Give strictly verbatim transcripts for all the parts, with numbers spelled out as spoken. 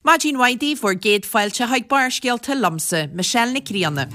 Maidin mhaith daoibh, bhur gcéad fáilte chuig Barrscéalta liomsa, Michelle Nic Grianna.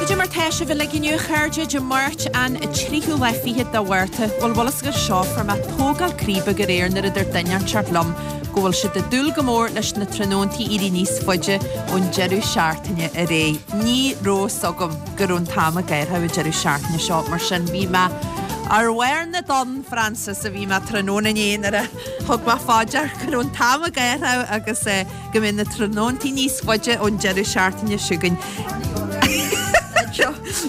Cad é mar tá sibh uilig inniu, a chairde, Dé Máirt an tríú lá fichead de Mhárta. Bhuel, bhfuil fhios agaibh seo, fuair mé tógáil croí beag aréir nuair a dúirt duine inteacht liom go bhfuil siad ag dúil go mór leis na tráthnóntaí éirí níos faide ón deireadh seachtaine aréir. Ní raibh fhios agam go raibh an t-am ag athrú an deireadh seachtaine seo, mar sin bhí mé ar bharr na dtonn, Frances, a bhí mé tráthnóna inné nuair a thug mé fá dear go raibh an t-am ag athrú agus go mbeidh na tráthnóntaí níos faide ón deireadh seachtaine seo chugainn.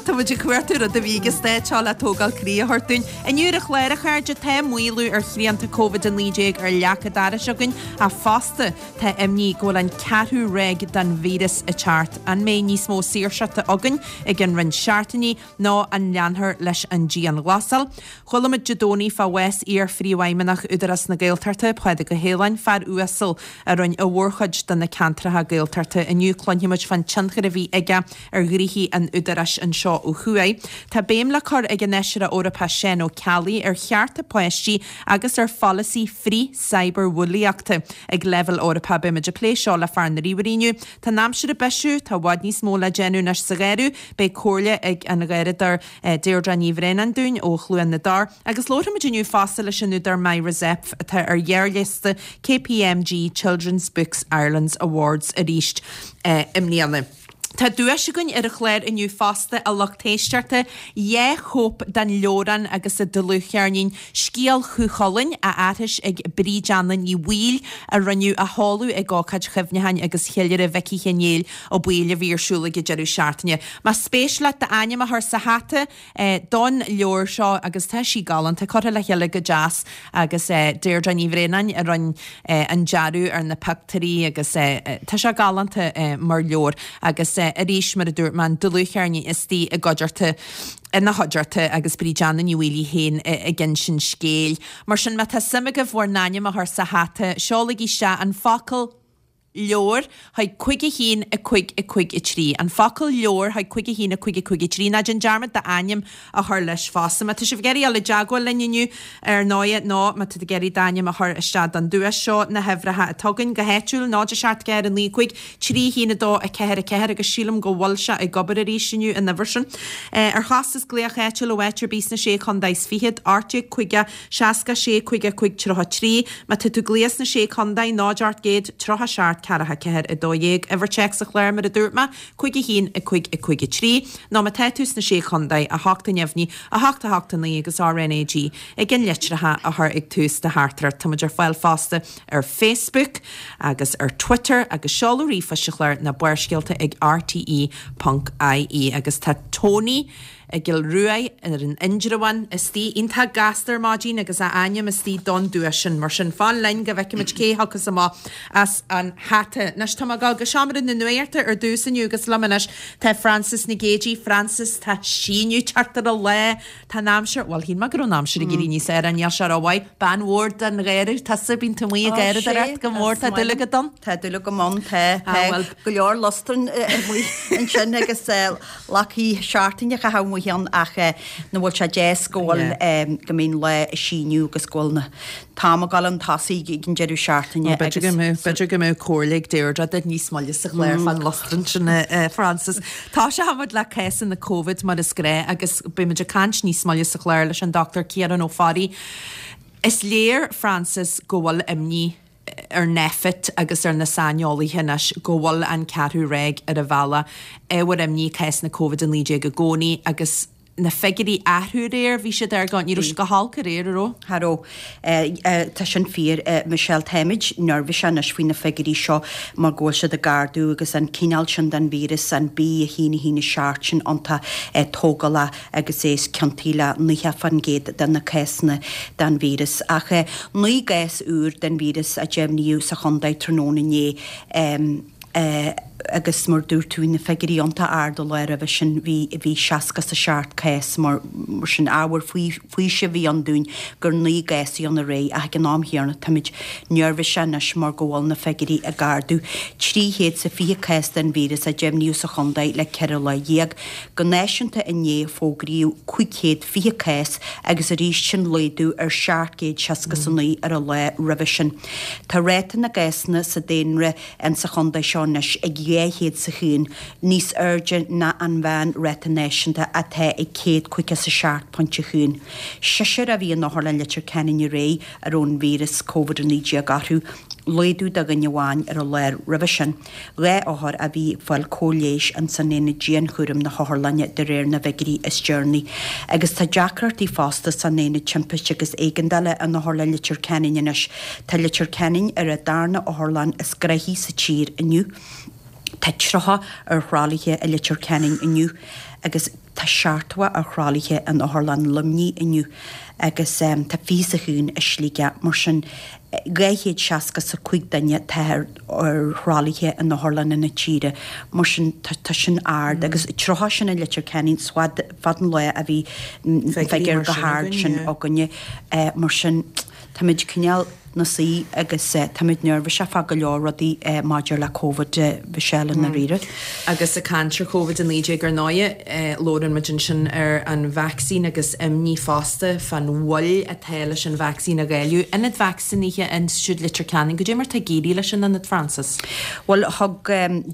Tá muid ag cuartú rud a bhí ag an stáit seo le tógáil croí a thabhairt dúinn. Inniu ar an chlár, a chairde, tá maolú ar shrianta Covid a naoi déag ar leac an dorais againn ach fosta tá imní go bhfuil an ceathrú ráig den víreas ag teacht. An mbeidh níos mó saoirseachta againn i gcionn roinnt seachtainí nó an leanfar leis an dianghlasáil? Chuala muid Dé Domhnaigh fá bhás iar-phríomhfheidhmeannach Údarás na Gaeltachta, Pádraig Ó hAoláin, fear uasal a rinne a mhórchuid do na ceantracha Gaeltachta. Inniu cluinfidh muid fán tionchar a bhí aige ar ghnoithí an Údaráis anseo ó thuaidh. Tá béim le cur ag an Fheisire Eorpach Seán Ó Ceallaigh ar chearta páistí agus ar pholasaí frith-cyberbhulaíochta ag leibhéal Eorpach. Beidh muid ag plé seo le fear na ríomhairí inniu. Tá an aimsir ag bisiú, tá i bhfad níos mó le déanamh anois sa gharradh. Beidh comhairle ag an gharradóir Deirdre Ní Bhraonáin dúinn ó Chluain na dTor. Agus labharfaimid inniu fosta leis an údar Myra Zepf atá ar ghearrliosta KPMG Children's Books Ireland's Awards arís i mbliana. Tá duais againn ar an chlár inniu fosta, a lucht éisteachta, dhá chóip den leabhrán agus an dlúthcheirnín Scéal Chú Chulainn á aithris ag Bríd Anna Ní Bhaoill a rinneadh a sheoladh ag ócáid chuimhneacháin agus cheiliúradh Mhicí Chinéil Ó Baoill a bhí ar siúl ag an deireadh seachtaine. Más spéis leat d'ainm a chur sa hata don leabhar seo, agus tá sí galánta, curtha le chéile go deas agus Deirdre Ní Bhraonáin a rinne an dearadh ar na pictiúirí agus tá sé galánta mar leabhar agus arís mar a dúirt mé an dlúthcheirnín istigh i gcuideachta ina chuideachta agus Bríd Anna Ní Bhaoill í féin ag insint scéil. Mar sin má tá suim agaibh bhur n-ainm a chur sa hata, seolaigí isteach an focal leabhar chuig cúig a haon a cúig a cúig a trí. An focal leabhar chuig cúig a haon a cúig a cúig a trí. Ná déan dearmad d'ainm a chur leis fosta. Má tá sibh ag iarraidh dul i dteagmháil linn inniu, ar ndóighe, nó má tá tú ag iarraidh d'ainm a chur isteach don duais seo, na huimhreacha atá againn go háitiúil, náid a seacht ceathair a naoi cúig trí haon a dó a ceathair a ceathair agus sílim go bhfuil sé ag obair arís inniu, an uimhir sin. Ar chostas glaoch áitiúil ó áit ar bith sna Sé Chontae is Fichead, ocht déag caoga seasca sé caoga cúig tríocha trí. Má tá tú ag glaoch sna Sé Chontae, náid ocht gcéad tríocha seacht ceathracha ceathair a dó dhéag. Uimhir téacs an chláir, mar a dúirt mé, cúig a haon a cúig a cúig a trí. Nó má tá tú sna Sé Chontae, a hocht a neamhní, a hocht a hocht a naoi agus RnaG ag an litreacha a chur ag tús do theachtaireacht. Tá muid ar fáil fosta ar Facebook agus ar Twitter agus seoladh ríomhphoist an chláir ná Barrscéalta ag rte ponc ie. Agus tá Tony i gCill Ruaidh ar an Indreabhán istigh iontach gasta ar maidin agus a ainm istigh don duais sin. Mar sin, fan linn go bhfeicfimid cé thiocfas amach as an hata. Anois tá mé ag dul go seomra na nuachta ar dtús inniu agus liom anois tá Frances Nic Géadaigh. Frances, tá síneadh teacht ar an lá. Tá an aimsir, bhuel shíl mé go raibh an aimsir ag éirí níos fearr, níl sé rómhaith. Bean mhór den gheimhreadh tusa, bíonn tú amuigh ag garraíodóireacht go mór, tá dúil agat ann? Tá dúil agam ann, tá, tá go leor lustráin amuigh ansin agus lachaí seachtaine a chaitheamh amuigh ann ach nach bhfuil sé deas go bhfuil go mbíonn lá ag síneadh agus go bhfuil an t-am ag dul chun tosaigh ag an deireadh seachtaine agus B'fhéidir go mbeadh b'fhéidir go mbeadh comhairle ag Deirdre duit níos moille sa chlár fán lustrán sin a Frances. Toiseoidh muid le cásanna Covid mar is gnách agus beidh muid ag caint níos moille sa chlár leis an Dochtúir Ciarán Ó Fearraigh. Is léir, Frances, go bhfuil imní ar Nphet agus ar na saineolaithe anois go bhfuil an ceathrú ráig ar an bhealach. Ábhar imní cásanna Covid a naoi déag i gcónaí agus na figiúirí ag athrú aréir, bhí siad ar go, ní raibh siad go holc aréir, an raibh? Cha raibh. Tá sin fíor, Michelle. Táimid neirbhíseach anois faoi na figiúirí seo mar go bhfuil siad ag ardú agus an cineál sin den víreas, an B a haon a haon a seacht sin iontach tógálach agus é is ciontaí le nócha fán gcéad de na cásanna den víreas. Ach naoi gcás úr den víreas a deimhníodh sa chontae tráthnóna inné. Agus mar dúirt tú, na figiúirí iontach ard an lá roimhe sin, bhí bhí seasca is a seacht cás mar mar sin ábhar faoisimh a bhí ann dúinn gur naoi gcás a bhí ann aréir ach ag an am chéanna táimid neirbhíseach anois mar go bhfuil na figiúirí ag ardú. Trí chéad 's a fiche cás den víreas a deimhníodh sa chontae le ceithre lá dhéag. Go náisiúnta inné fógraíodh cúig chéad fiche cás agus arís sin laghdú ar seacht gcéad seasca 's a naoi ar an lá roimhe sin. Tá ráta na gcásanna sa daonra insa chontae seo anois ag dhá chéad 's a haon, níos airde ná an mheán ráta náisiúnta atá ag céad caoga 's a seacht pointe a haon. Seisear a bhí in Otharlann Leitir Ceanainn aréir a raibh an víreas Covid a naoi déag orthu, laghdú de dhuine amháin ar an lá roimhe sin. Dhá othar a bhí ag fáil cóir leighis ins an aonad dianchúraim na hotharlainne de réir na bhfigiúirí is deireanaí. Agus tá deacrachtaí fosta san aonad timpiste agus éigeandála in Otharlann Leitir Ceanainn anois. Tá Leitir Ceanainn ar an darna otharlann is gnoithí sa tír inniu. Tá tríocha ar thralaithe i Leitir Ceanainn inniu agus tá seachtó ar thralaithe in Otharlann Luimnigh inniu agus tá fiche 's a haon i Sligeach. Mar sin, dhá chéad seasca 's a cúig duine atá ar thralaithe in otharlanna na tíre. Mar sin, tá sin ard agus tríocha sin i Leitir Ceanainn, is fada an lá a bhí figiúr chomh hard sin againne. Mar sin, táimid cineál 'na suí agus táimid neirbhíseach fá go leor rudaí maidir le Covid, Michelle, i ndáiríre. Agus ag caint ar Covid a naoi déag ar ndóighe, labhrann muid ansin ar an vacsaín agus imní fosta fán mhoill atá leis an vacsaín a dháileadh. Ionad vacsaínithe Institiúid Leitir Ceanainn, goidé mar tá ag éirí leis an ionad, Frances? Bhuel, thug,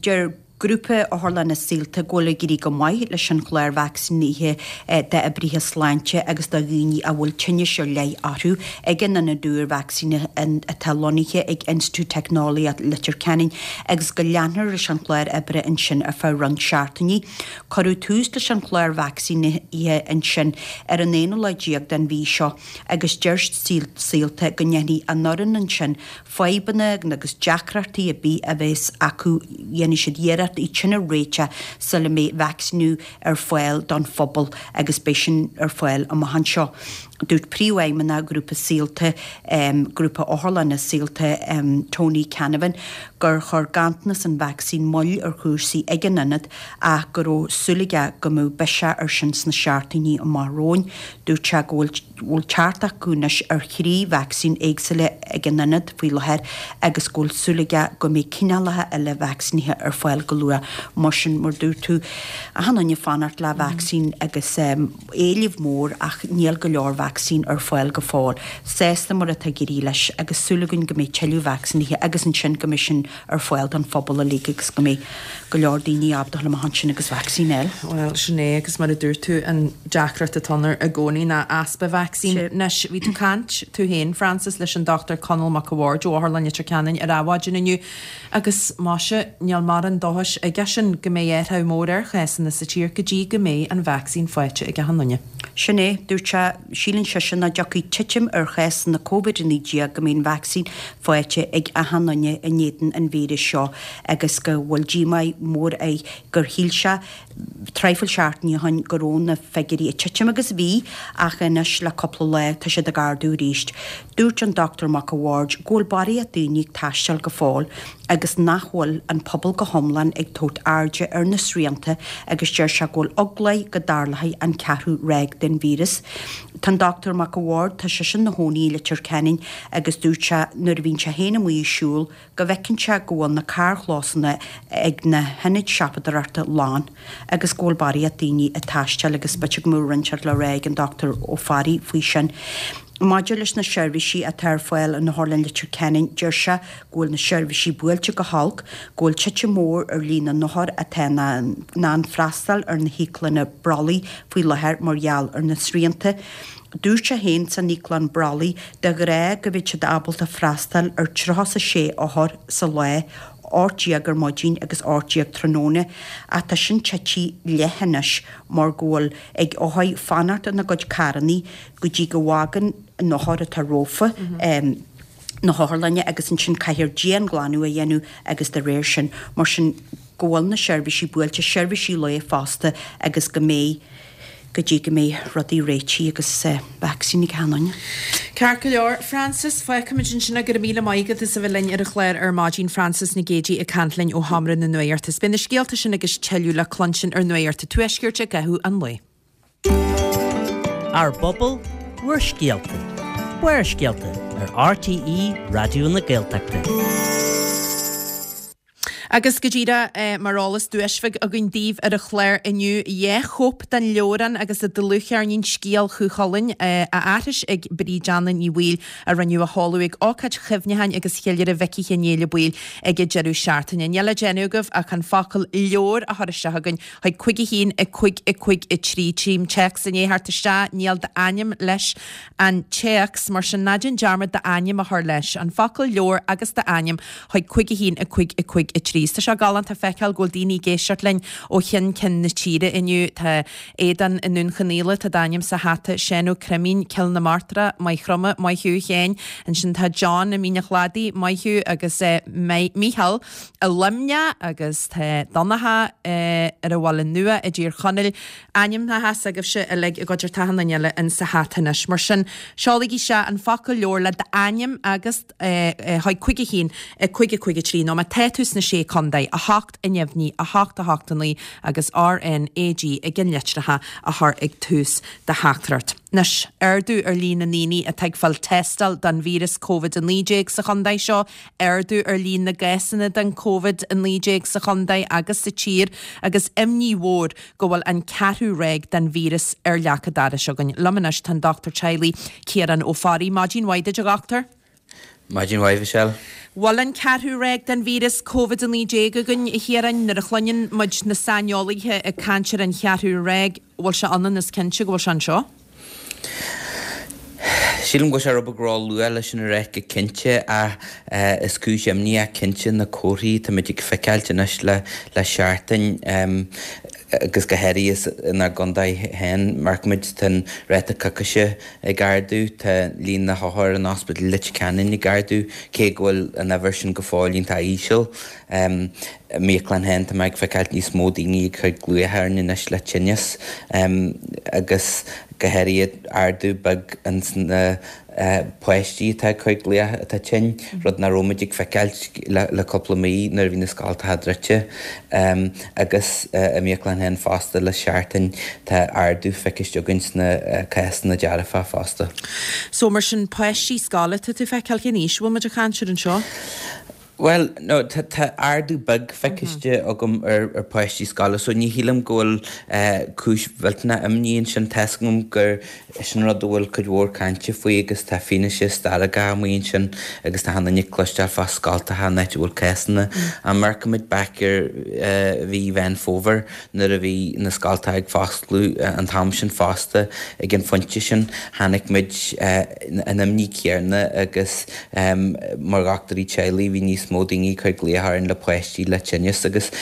deir Grúpa Otharlanna Saolta go bhfuil ag éirí go maith leis an chlár vacsaínithe d'oibrithe sláinte agus do dhaoine a bhfuil tinnis ar leith orthu ag an ionad úr vacsaínithe atá lonnaithe ag Institiúid Teicneolaíochta Leitir Ceanainn agus go leanfar leis an chlár oibre ansin ar feadh roinnt seachtainí. Cuireadh tús leis an chlár vacsaínithe ansin ar an aonú lá déag den mhí seo agus deir Saolta go ndéanfaidh an fhoireann ansin fadhbanna agus deacrachtaí ar bith a bheas acu, dhéanfaidh siad iarracht iad sin a réiteach sula mbeidh vacsaíniú ar fáil don phobal agus beidh sin ar fáil amach anseo. Dúirt Príomhfheidhmeannach Ghrúpa Saolta, Grúpa Otharlanna Saolta, Tony Canavan, gur chuir ganntanas an vacsaín moill ar chúrsaí ag an ionad ach go raibh súil aige go mbeadh biseach air sin sna seachtainí amach romhainn. Dúirt sé go bhfuil bhfuil teacht acu anois ar thrí vacsaín éagsúla ag an ionad faoi láthair agus go bhfuil súil aige go mbeidh cineálacha eile vacsaínithe ar fáil go luath. Mar sin, mar dúirt tú, achan duine ag fanacht le vacsaín agus éileamh mór ach níl go leor vacsaín ar fáil go fóill. Sásta mar atá ag éirí leis agus súil againn go mbeidh tuilleadh vacsaínithe agus ansin go mbeidh sin ar fáil don phobal uilig agus go mbeidh go leor daoine ábalta dul amach ansin agus vacsaín a fháil. Bhuel, sin é, agus mar a dúirt tú, an deacracht atá ann i gcónaí ná easpa vacsaín. Anois, bhí tú ag caint, tú féin, Frances, leis an Dochtúir Conall Mac a' Bhaird ó Otharlann Leitir Ceanainn ar Adhmhaidin inniu agus, maise, níl mórán dóchais aigesean go mbeidh athrú mór ar chásanna sa tír go dtí go mbeidh an vacsaín faighte ag achan duine. Sin é, dúirt sé, síleann seisean nach dtiocfaidh titim ar chásanna Covid a naoi déag go mbeidh an vacsaín faighte ag achan duine in éadan an víris seo agus go bhfuil díomá mór air gur shíl sé traidhfil seachtainí ó shin go raibh na figiúirí ag titim agus bhí ach anois le cúpla lá tá siad ag ardú arís. Dúirt an Dochtúir Mac a' Bhaird go bhfuil barraíocht daoine ag taisteal go fóill agus nach bhfuil an pobal go hiomlán ag tabhairt airde ar na srianta agus deir sé go bhfuil eagla air go dtarlóidh an ceathrú ráig den víreas. Tá an Dochtúir Mac a' Bhaird, tá seisean 'na chónaí i Leitir Ceanainn agus dúirt sé nuair a bhíonn sé féin amuigh ag siúl go bhfeiceann sé go bhfuil na carrchlósanna ag na hionaid siopadóireachta lán agus go bhfuil barraíocht daoine ag taisteal agus b'fhéidir go mbeadh roinnt le rá ag an Dochtúir Ó Fearraigh faoi sin. Maidir leis na seirbhísí atá ar fáil in Otharlann Leitir Ceanainn, deir sé go bhfuil na seirbhísí buailte go holc, go bhfuil titim mhór ar líon na n-othar atá in ann freastal ar na híoclanna brollaigh faoi láthair mar gheall ar na srianta. Dúirt sé féin san íoclann brollaigh de ghnáth go mbíodh siad ábalta freastal ar tríocha 's a sé othar sa lá, ocht déag ar maidin agus ocht déag tráthnóna, ach tá sin tite leath anois mar go bhfuil ag othair fanacht ina gcuid carrannaí go dtí go bhfágann an othar atá rompu na hotharlainne agus ansin caithfear dianghlanadh a dhéanamh agus de réir sin, mar sin go bhfuil na seirbhísí buailte, seirbhísí lae fosta agus go mbeidh. go dtí go mbeidh rudaí réitithe agus vacsaín ag achan duine. Ceart go leor, Frances, fágfaimid ansin é. Go raibh míle maith agat as a bheith linn ar an chlár ar maidin, Frances Nic Géadaigh ag caint linn ó Sheomra na Nuachta. Is beidh na scéalta sin agus tuilleadh le cluinstin ar Nuacht an Tuaiscirt i gcaitheamh an lae. Ár bpobal, bhur scéalta. Barrscéalta ar R T E Raidió na Gaeltachta. Agus go díreach mar eolas duais bheag againn daoibh ar an chlár inniu dhá chóip den leabhrán agus an dlúthcheirnín Scéal Chú Chulainn á aithris ag Bríd Anna Ní Bhaoill a rinneadh a sheoladh ag ócáid chuimhneacháin agus cheiliúradh Mhicí Chinnéide Baoill ag an deireadh seachtaine. Níl le déanamh agaibh ach an focal leabhar a chur isteach againn chuig cúig a haon a cúig a cúig a trí tchím téacs i ndiaidh theacht isteach níl d'ainm leis an téacs mar sin ná déan dearmad d'ainm a chur leis an focal leabhar agus d'ainm chuig cúig a haon a cúig a cúig a trí. Tá sé galánta feiceáil go bhfuil daoine ag éisteacht linn ó cheann ceann na tíre inniu tá Aodán i nDún Chonaill tá d'ainm sa hata Seán Ó Creimín Cill na Martra Maigh Chromtha maith thú Sheáin ansin tá John i Mín an Chladaigh maith thú agus eh, Micheál i Luimneach agus tá Donncha eh, ar an Bhaile Nua i dTír Chonaill ainmneacha s'agaibhse uilig i gcuideachta na eile in sa hata anois. Mar sin seolaigí isteach an focal leabhar le d'ainm agus chuig cúig a haon cúig a cúig a trí nó má tá tú sna sé chontae a hocht a neamhní a hocht a hocht a naoi agus R N A G ag an litreacha a chur ag tús do theachtaireacht. Anois ardú ar líon na ndaoine atá ag fáil tástáil don víreas COVID a naoi déag sa chontae seo, ardú ar líon na gcásanna den COVID a naoi déag sa chontae agus sa tír agus imní mhór go bhfuil an ceathrú ráig den víreas ar leac an dorais againn. Liom anois tá an Dochtúir Teaghlaigh Ciarán Ó Fearraigh maidin mhaith duit a dhochtúir. Maidin mhaith Michelle. Bhfuil an ceathrú ráig den víreas COVID a naoi déag againn a Chiaráin nuair a chluineann muid na saineolaithe ag caint ar an cheathrú ráig, bhfuil sé ionann is cinnte go bhfuil sé anseo? Sílim go sé rud beag ró-luath leis sin a rá go cinnte ach is cúis imní é cinnte na comharthaí táimid ag feiceáilt anois le le seachtain agus go háirithe inár gcontae féin amharcaimid tá an ráta coicíse ag ardú tá líon na n-othar in Ospidéal Leitir Ceanainn ag ardú cé go bhfuil an uimhir sin go fóill iontach íseal. Um, I m'íoclann féin tá mé ag feiceáilt níos mó daoine ag cur glaoch orainn anois le tinneas um, agus go háirithe ardú beag ins na uh, páistí atá ag cur glaoch atá tinn, rud nach raibh muid ag feiceáilt le, le cúpla mí nuair a bhí na scoltacha druidte um, agus uh, i m'íoclann féin fosta le seachtain tá ardú feicthe againn sna uh, cásanna dearfa fosta. So mar sin páistí scoile tá tú feiceáil cén aois bhfuil muid ag caint ar anseo? Well, no, tá tá ardú beag feicthe agam ar ar páistí scoile, so ní shílim go bhfuil uh, cúis mhillteanach imní ansin tá a fhios agam gur sin rud a bhfuil cuid mhór cainte faoi agus tá fianaise stairiúil amuigh ansin agus tá an cloisteáil fá scoltacha an áit a bhfuil cásanna. Amharcaimid back ar uh, mhí Mheán Fómhair nuair a bhí na scoltacha ag foscladh uh, an t-am sin fosta ag an phointe sin chonaic muid uh, an imní céanna agus um, mar dhochtúirí teaghlaigh bhí níos mó daoine cur glaoch orainn le páistí le tinneas agus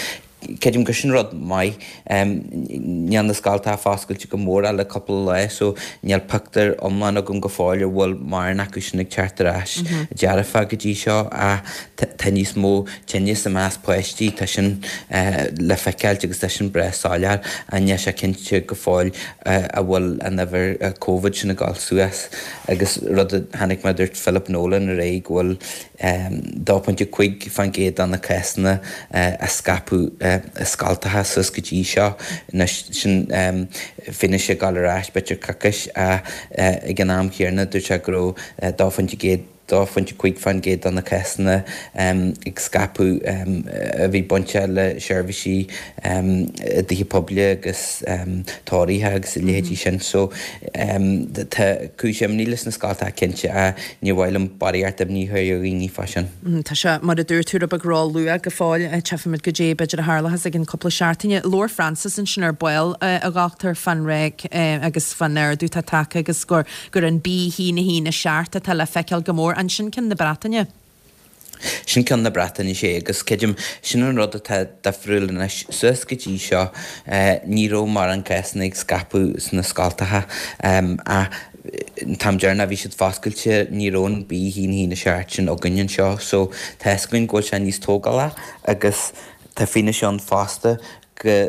Creidim gur sin rud maith níl na scoltacha foscailte go mór le cúpla lá so níl pictiúr iomlán agam go fóill ar bhfuil mórán acu sin ag teacht ar ais dearfa go dtí seo a tá níos mó tinneas i measc páistí tá sin le feiceáilt agus tá sin breá soiléir a níl sé cinnte go fóill a bhfuil an uimhir COVID sin ag dul suas agus rud a chonaic mé dúirt Philip Nolan aréir go bhfuil dó pointe cúig faoin gcéad de na cásanna a scaipeadh i scoltacha suas go dtí seo anois sin fianaise ag dul ar ais b'fhéidir coicís ag an am chéanna dúirt sé go raibh dó pointe céad dó pointe cúig faoin gcéad de na cásanna ag scaipeadh a bhí bainte le seirbhísí i dtithe poiblí agus tórraimh agus a leithéidí sin so tá cúis imní leis na scoltacha cinnte a ní mhaith liom barraíocht imní a chur ar dhaoine fá sin. Tá sé mar a dúirt tú rud beag ró-luath go fóill tchífimid goidé b'fhéidir a tharlós ag an cúpla seachtaine. Labhair Francis ansin ar ball a dhochtúir fán ráig agus fán ardú tá tagtha agus gur gur an B haon a haon a seacht atá le feiceáil go mór ansin ceann na Breataine. Sin ceann na Breataine sé agus creidim sin an rud atá difriúil anois suas go dtí seo ní raibh mórán cásanna ag scaipeadh sna scoltacha a an t-am deireanach bhí siad foscailte ní raibh an B haon haon a seacht sin againn anseo so tá a fhios againn go bhfuil sé níos tógála agus tá fianaise ann fosta go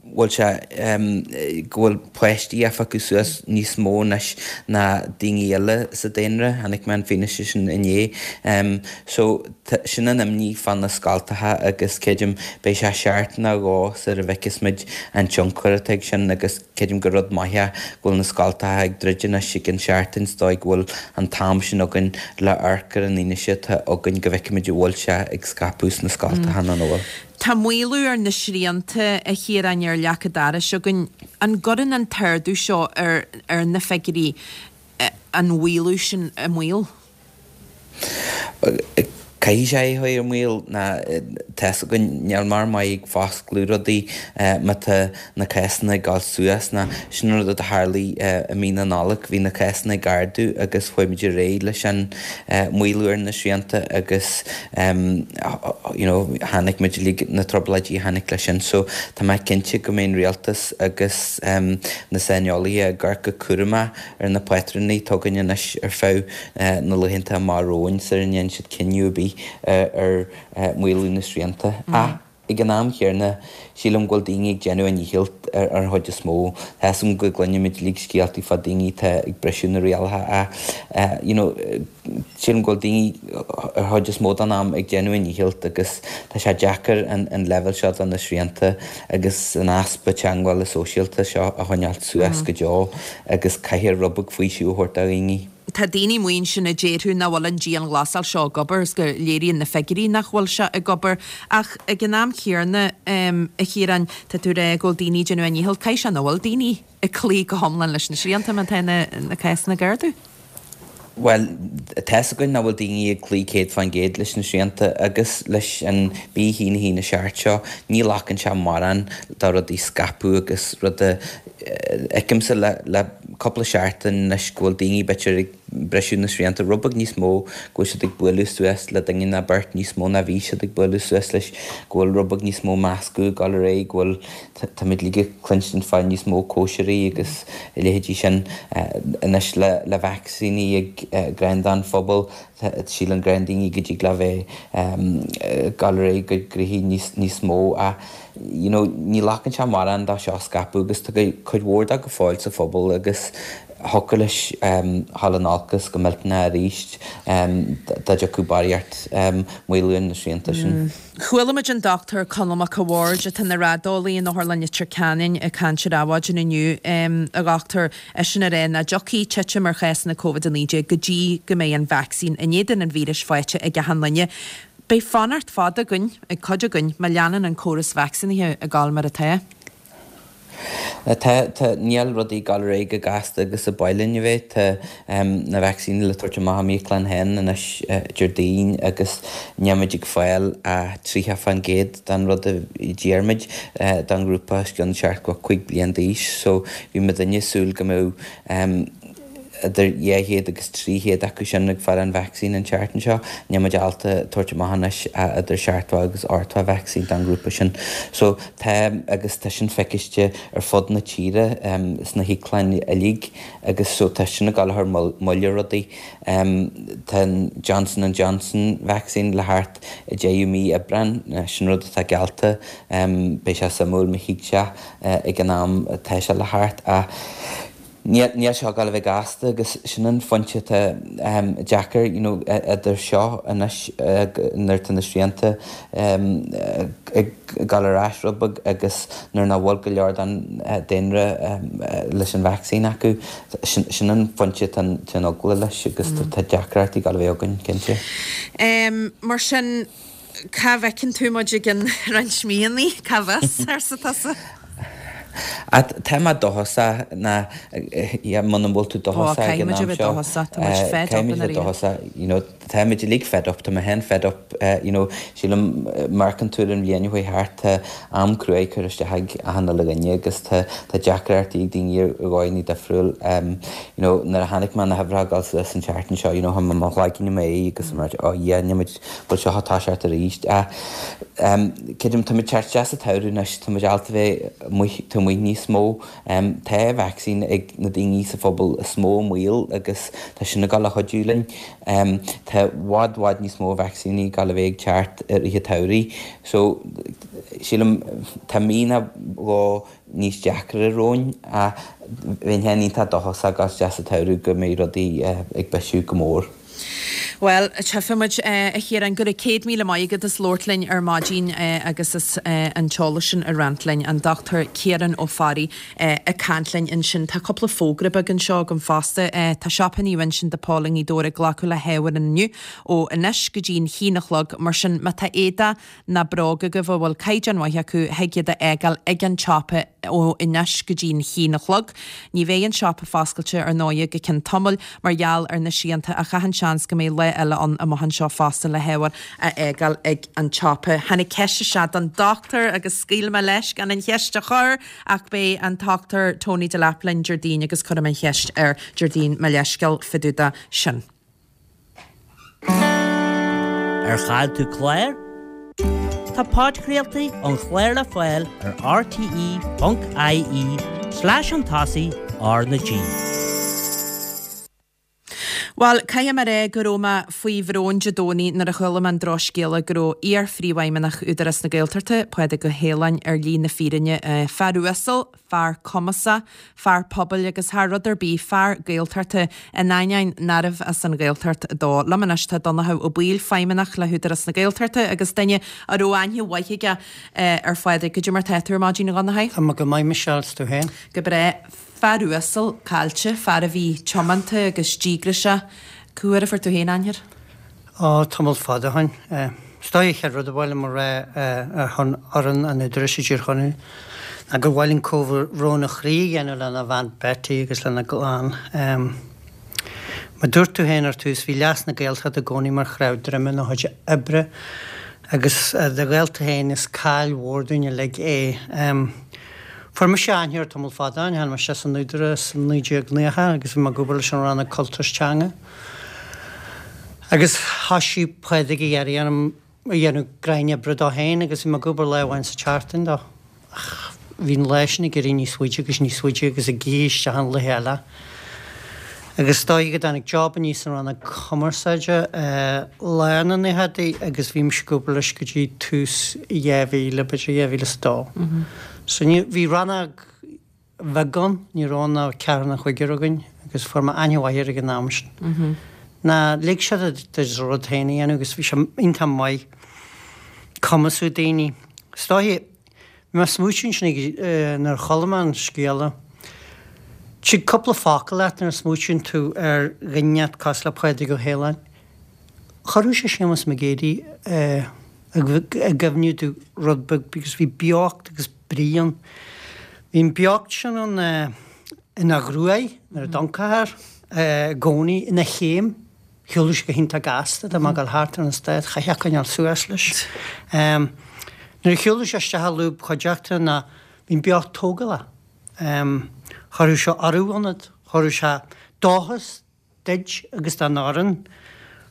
bhfuil sé go bhfuil páistí á phiocadh suas níos mó anois ná daoine eile sa daonra, chonaic mé an fianaise sin inné. So sin an imní fá na scoltacha agus creidim beidh sé seachtain nó dhó sar a bhfeicfeas muid an tionchar atá ag sin agus creidim gur rud maith é go bhfuil na scoltacha ag druid anois i gcionn seachtain is dóigh go bhfuil an t-am sin againn le amharc ar an fhianaise atá againn go bhfeicfimid an bhfuil sé ag scaipeadh sna scoltacha nó nach bhfuil. Tá maolú ar na srianta, a Chiaráin, ar leac an dorais againn. An gcuireann an t-ardú seo ar ar na figiúirí an mhaolú sin i mbaol? Caithfidh sé é a chur i mbaol ná tá's againn níl mar maith ag foscladh rudaí má tá na cásanna ag dul suas ná sin an rud a tharlaigh i mí na Nollag, bhí na cásanna ag ardú agus chuaigh muid ar aghaidh leis an maolú ar na srianta agus you know chonaic muid uilig na trioblóidí a tháinig leis sin. So tá mé cinnte go mbeidh an rialtas agus na saineolaithe ag amharc go cúramach ar na pátrúin atá againn anois ar feadh na laethanta amach romhainn sar a ndéanann siad cinneadh ar bith ar maolú na srianta. Ach ag an am chéanna, sílim go bhfuil daoine ag déanamh a ndícheall ar an chuid is mó. Tá 'fhios agam go gcluinimid uilig scéaltaí fá daoine atá ag briseadh na rialacha ach you know sílim go bhfuil daoine ar chuid is mó den am ag déanamh a ndícheall agus tá sé deacair an an leibhéal seo de na srianta agus an easpa teagmhála sóisialta seo a choinneáilt suas go deo agus caithfear rud beag faoiseamh a thabhairt do dhaoine. Tá daoine amuigh ansin a déarfadh nach bhfuil an dianghlasáil seo ag obair is go léiríonn na figiúirí nach bhfuil sé ag obair. Ach ag an am chéanna, a Chiaráin, tá tú ag rá go bhfuil daoine ag déanamh a ndícheall. Caithfidh sé nach bhfuil daoine ag cloí go hiomlán leis na srianta má tá na cásanna ag ardú? Bhuel, tá's againn nach bhfuil daoine ag cloí céad fán gcéad leis na srianta agus leis an B a haon a haon a seacht seo, ní ghlacann sé mórán do rudaí scaipeadh agus rud a fheicimse le le cúpla seachtain anois go bhfuil daoine b'fhéidir ag briseadh na srianta rud beag níos mó, go bhfuil siad ag bualadh suas le duine ná beirt níos mó ná bhí siad ag bualadh suas leis, go bhfuil rud beag níos mó meascadh ag dul ar aghaidh, go bhfuil, táimid uilig ag cluinstin fá níos mó cóisirí agus a leithéidí sin anois le le vacsaíní ag greim don phobal, síleann go leor daoine go dtig le bheith ag dul ar aghaidh go gnoithí níos níos mó ach you know ní ghlacann sé mórán dó seo a scaipeadh agus tá cuid mhór de go fóill sa phobal agus thiocfadh leis dhul in olcas go millteanach arís dá dtiocfadh barraíocht maolú ar na srianta sin. Chuala muid an Dochtúir Conall Mac a' Bhaird, atá ina raideolaí in Otharlann Leitir Ceanainn, ag caint ar Adhmhaidin inniu, a dhochtúir, eisean ag rá nach dtiocfaidh titim ar chásanna Covid a naoi déag go dtí go mbeidh an vacsaín in éadan an víris faighte ag achan duine. Beidh fanacht fada againn, ag cuid againn, má leanann an córas vacsaínithe ag dul mar atá. Tá, tá, níl rudaí ag dul ar aghaidh chomh gasta agus a ba mhaith linn a bheith. Tá na vacsaíní le tabhairt amach i m'íoclann féin anois Déardaoin agus níl muid ag fáil ach tríocha fán gcéad den rud a d'iarr muid don ghrúpa os cionn seachtó cúig bliain d'aois. So bhí muidinne ag súil go mbeadh idir dhá chéad agus trí chéad acu sin ag fáil an vacsaín an tseachtain seo. Níl muid ábalta tabhairt amach anois ach idir seachtó agus ochtó vacsaín don ghrúpa sin. So tá, agus tá sin feiciste ar fud na tíre sna híoclainn uilig agus so tá sin ag dul a chur moill ar rudaí. Tá an Johnson and Johnson vaccine le theacht i deireadh mí Aibreáin, sin rud atá geallta. Beidh sé suimiúil má thig sé ag an am atá sé le theacht ach Níl níl seo ag dul a bheith gasta agus sin an phointe atá deacair, you know, idir seo anois nuair atá na srianta ag dul ar ais rud beag agus nuair nach bhfuil go leor den daonra leis an vacsaín acu, sin sin an phointe atá an eagla leis agus tá deacrachtaí ag dul a bheith againn, cinnte. Mar sin, cá bhfeiceann tú muid i gcionn roinnt míonna? Cá bhfios, arsa tusa? Tá mé dóchasach ná yeah muna bhfuil tú Ó, dóchasach ag caithfidh an muid a am bheith seo, dóchasach, tá muid fed up caithfidh muid i a bheith ndáiríre. dóchasach, you know, tá muid uilig fed up, tá mé féin fed up, you know, sílim amharcann tú ar an bhliain a chuaigh thart, tá am cruaidh curtha isteach ag achan uile dhuine agus tá tá deacrachtaí ag daoine ar dhóigheanna difriúil, you know, nuair a chonaic mé na huimhreacha ag dul suas an tseachtain seo, you know, tá mo chloigeann i m'aghaidh agus I'm like, oh yeah, níl muid, bhfuil seo ag toiseacht arís ach creidim tá muid ag teacht isteach sa tsamhradh anois, tá muid ábalta bheith amuigh, taobh amuigh níos mó. Tá vacsaín ag na daoine sa phobal is mó i mbaol agus tá sin ag dul a chuidiú linn. Tá Tá i bhfad bhfad níos mó vacsaíní ag gabháil a bheith ag teacht i rith an tsamhraidh. So sílim tá mí nó dhó níos deacra romhainn ach bheinn féin iontach dóchasach ag dul isteach sa tsamhradh go mbeidh rudaí ag bisiú go mór. Bhuel, tchífidh muid, a Chiaráin, go raibh céad míle maith agat as labhairt linn ar maidin agus as an t-eolas sin a roinnt linn. An Dochtúir Ciarán Ó Fearraigh ag caint linn ansin. Tá cúpla fógra beag anseo agam fosta. Tá siopa Naomh Uinseann de Pól i nGaoth Dobhair ag glacadh le hábhair inniu ó anois go dtí an haon a chlog. Mar sin, má tá éadaí ná bróga agaibh a bhfuil caighdeán maith acu, thig iad a fhágáil ag an tsiopa ó anois go dtí an haon a chlog. Ní bheidh an siopa foscailte ar ndóigh go ceann tamaill mar gheall ar na srianta ach achan seans go mbeidh lá eile ann amach anseo fosta le hábhar a fhágáil ag an tsiopa. Tháinig ceist isteach don dochtúir agus scaoil mé leis gan an cheist a chur ach beidh an Dochtúir Tony Delap linn Déardaoin agus cuirfidh mé an cheist air Déardaoin, mo leithscéal fá dtaobh de sin. Ar chaill tú clár? Tá podchraoltaí an chláir le fáil ar rte ponc ie slash chun tosaigh R na G. Bhuel, caithfidh mé a rá go raibh mé faoi bhrón Dé Domhnaigh nuair a chuala mé an drochscéala go raibh iar-phríomhfheidhmeannach Údarás na Gaeltachta, Pádraig Ó hAoláin, ar shlí na fírinne. Fear uasal, fear cumasach, fear pobail agus thar rud ar bith, fear Gaeltachta, in ainneoin nárbh as an Ghaeltacht dó. Liom anois tá Donnchadh Ó Baoill, feidhmeannach le hÚdarás na Gaeltachta agus duine a raibh aithne mhaith aige ar Phádraig. Goidé mar tá tú ar maidin, a Dhonnchaidh? Tá mé go maith, Michelle, 's tú féin? Go breá. Fear uasal caillte, fear a bhí tiomanta agus díograiseach. Cá huair a fuair tú féin aithne air? Ó, tamall fada ó shin. Is dóigh an chéad rud a ba mhaith liom a rá ar shon fhoireann an Údaráis i dTír Chonaill ná gur mhaith linn comhbhrón ó chroí a dhéanamh lena bhean Betty agus lena gclann. Mar a dúirt tú féin ar tús, bhí leas na Gaeltachta i gcónaí mar chnámh droime ina chuid oibre agus dá ghaolta féin is caill mhór dúinn uilig é. Fuair mise aithne air tamall fada ó shin, tháinig mise san Údarás i naoi déag nócha agus bhí mé ag obair leis an Rannóg Cultúir is Teanga agus thoisigh Pádraig ag iarraidh orm a dhéanamh gráin oibre dó féin agus bhí mé ag obair lá amháin sa tseachtain dó ach bhí an lá sin ag éirí níos faide agus níos faide agus ag ithe isteach an laethe eile. Agus is dóigh go dtáinig job aníos san Rannóg Cumarsáide i lár na nóchaidí agus bhí mise ag obair leis go dtí tús dhá mhíle, b'fhéidir dhá mhíle is a dó. So ní, bhí rannóg bheag ann, ní raibh ann ach ceathrar nó cúigear againn agus fuair mé aithne mhaith air ag an am sin. Ná lig sé duit do rud féin a dhéanamh agus bhí sé iontach maith cumasú daoine. Is dóigh, bhí mé ag smaoitiú ansin ag, nuair a chuala mé an scéala, tig cúpla focal leat nuair a smaoitíonn tú ar dhuine cosúil le Pádraig Ó hAoláin. Chuirfeadh sé Séamus Mac Géidigh i gcuimhne domh rud beag because bhí beocht agus brí ann. Bhí an beocht sin ann ina ghruaig nuair a d'amharcfá air i gcónaí, ina chéim. Shiúladh sé go hiontach gasta, dá mbeadh ag dul thart ar an stát, chaithfeá coinneáil suas leis. Nuair a shiúladh sé isteach i lúb chuideachta ná bhí an beocht tógálach. Chuirfeadh sé urú ionat, chuirfeadh sé dóchas duit agus don fhoireann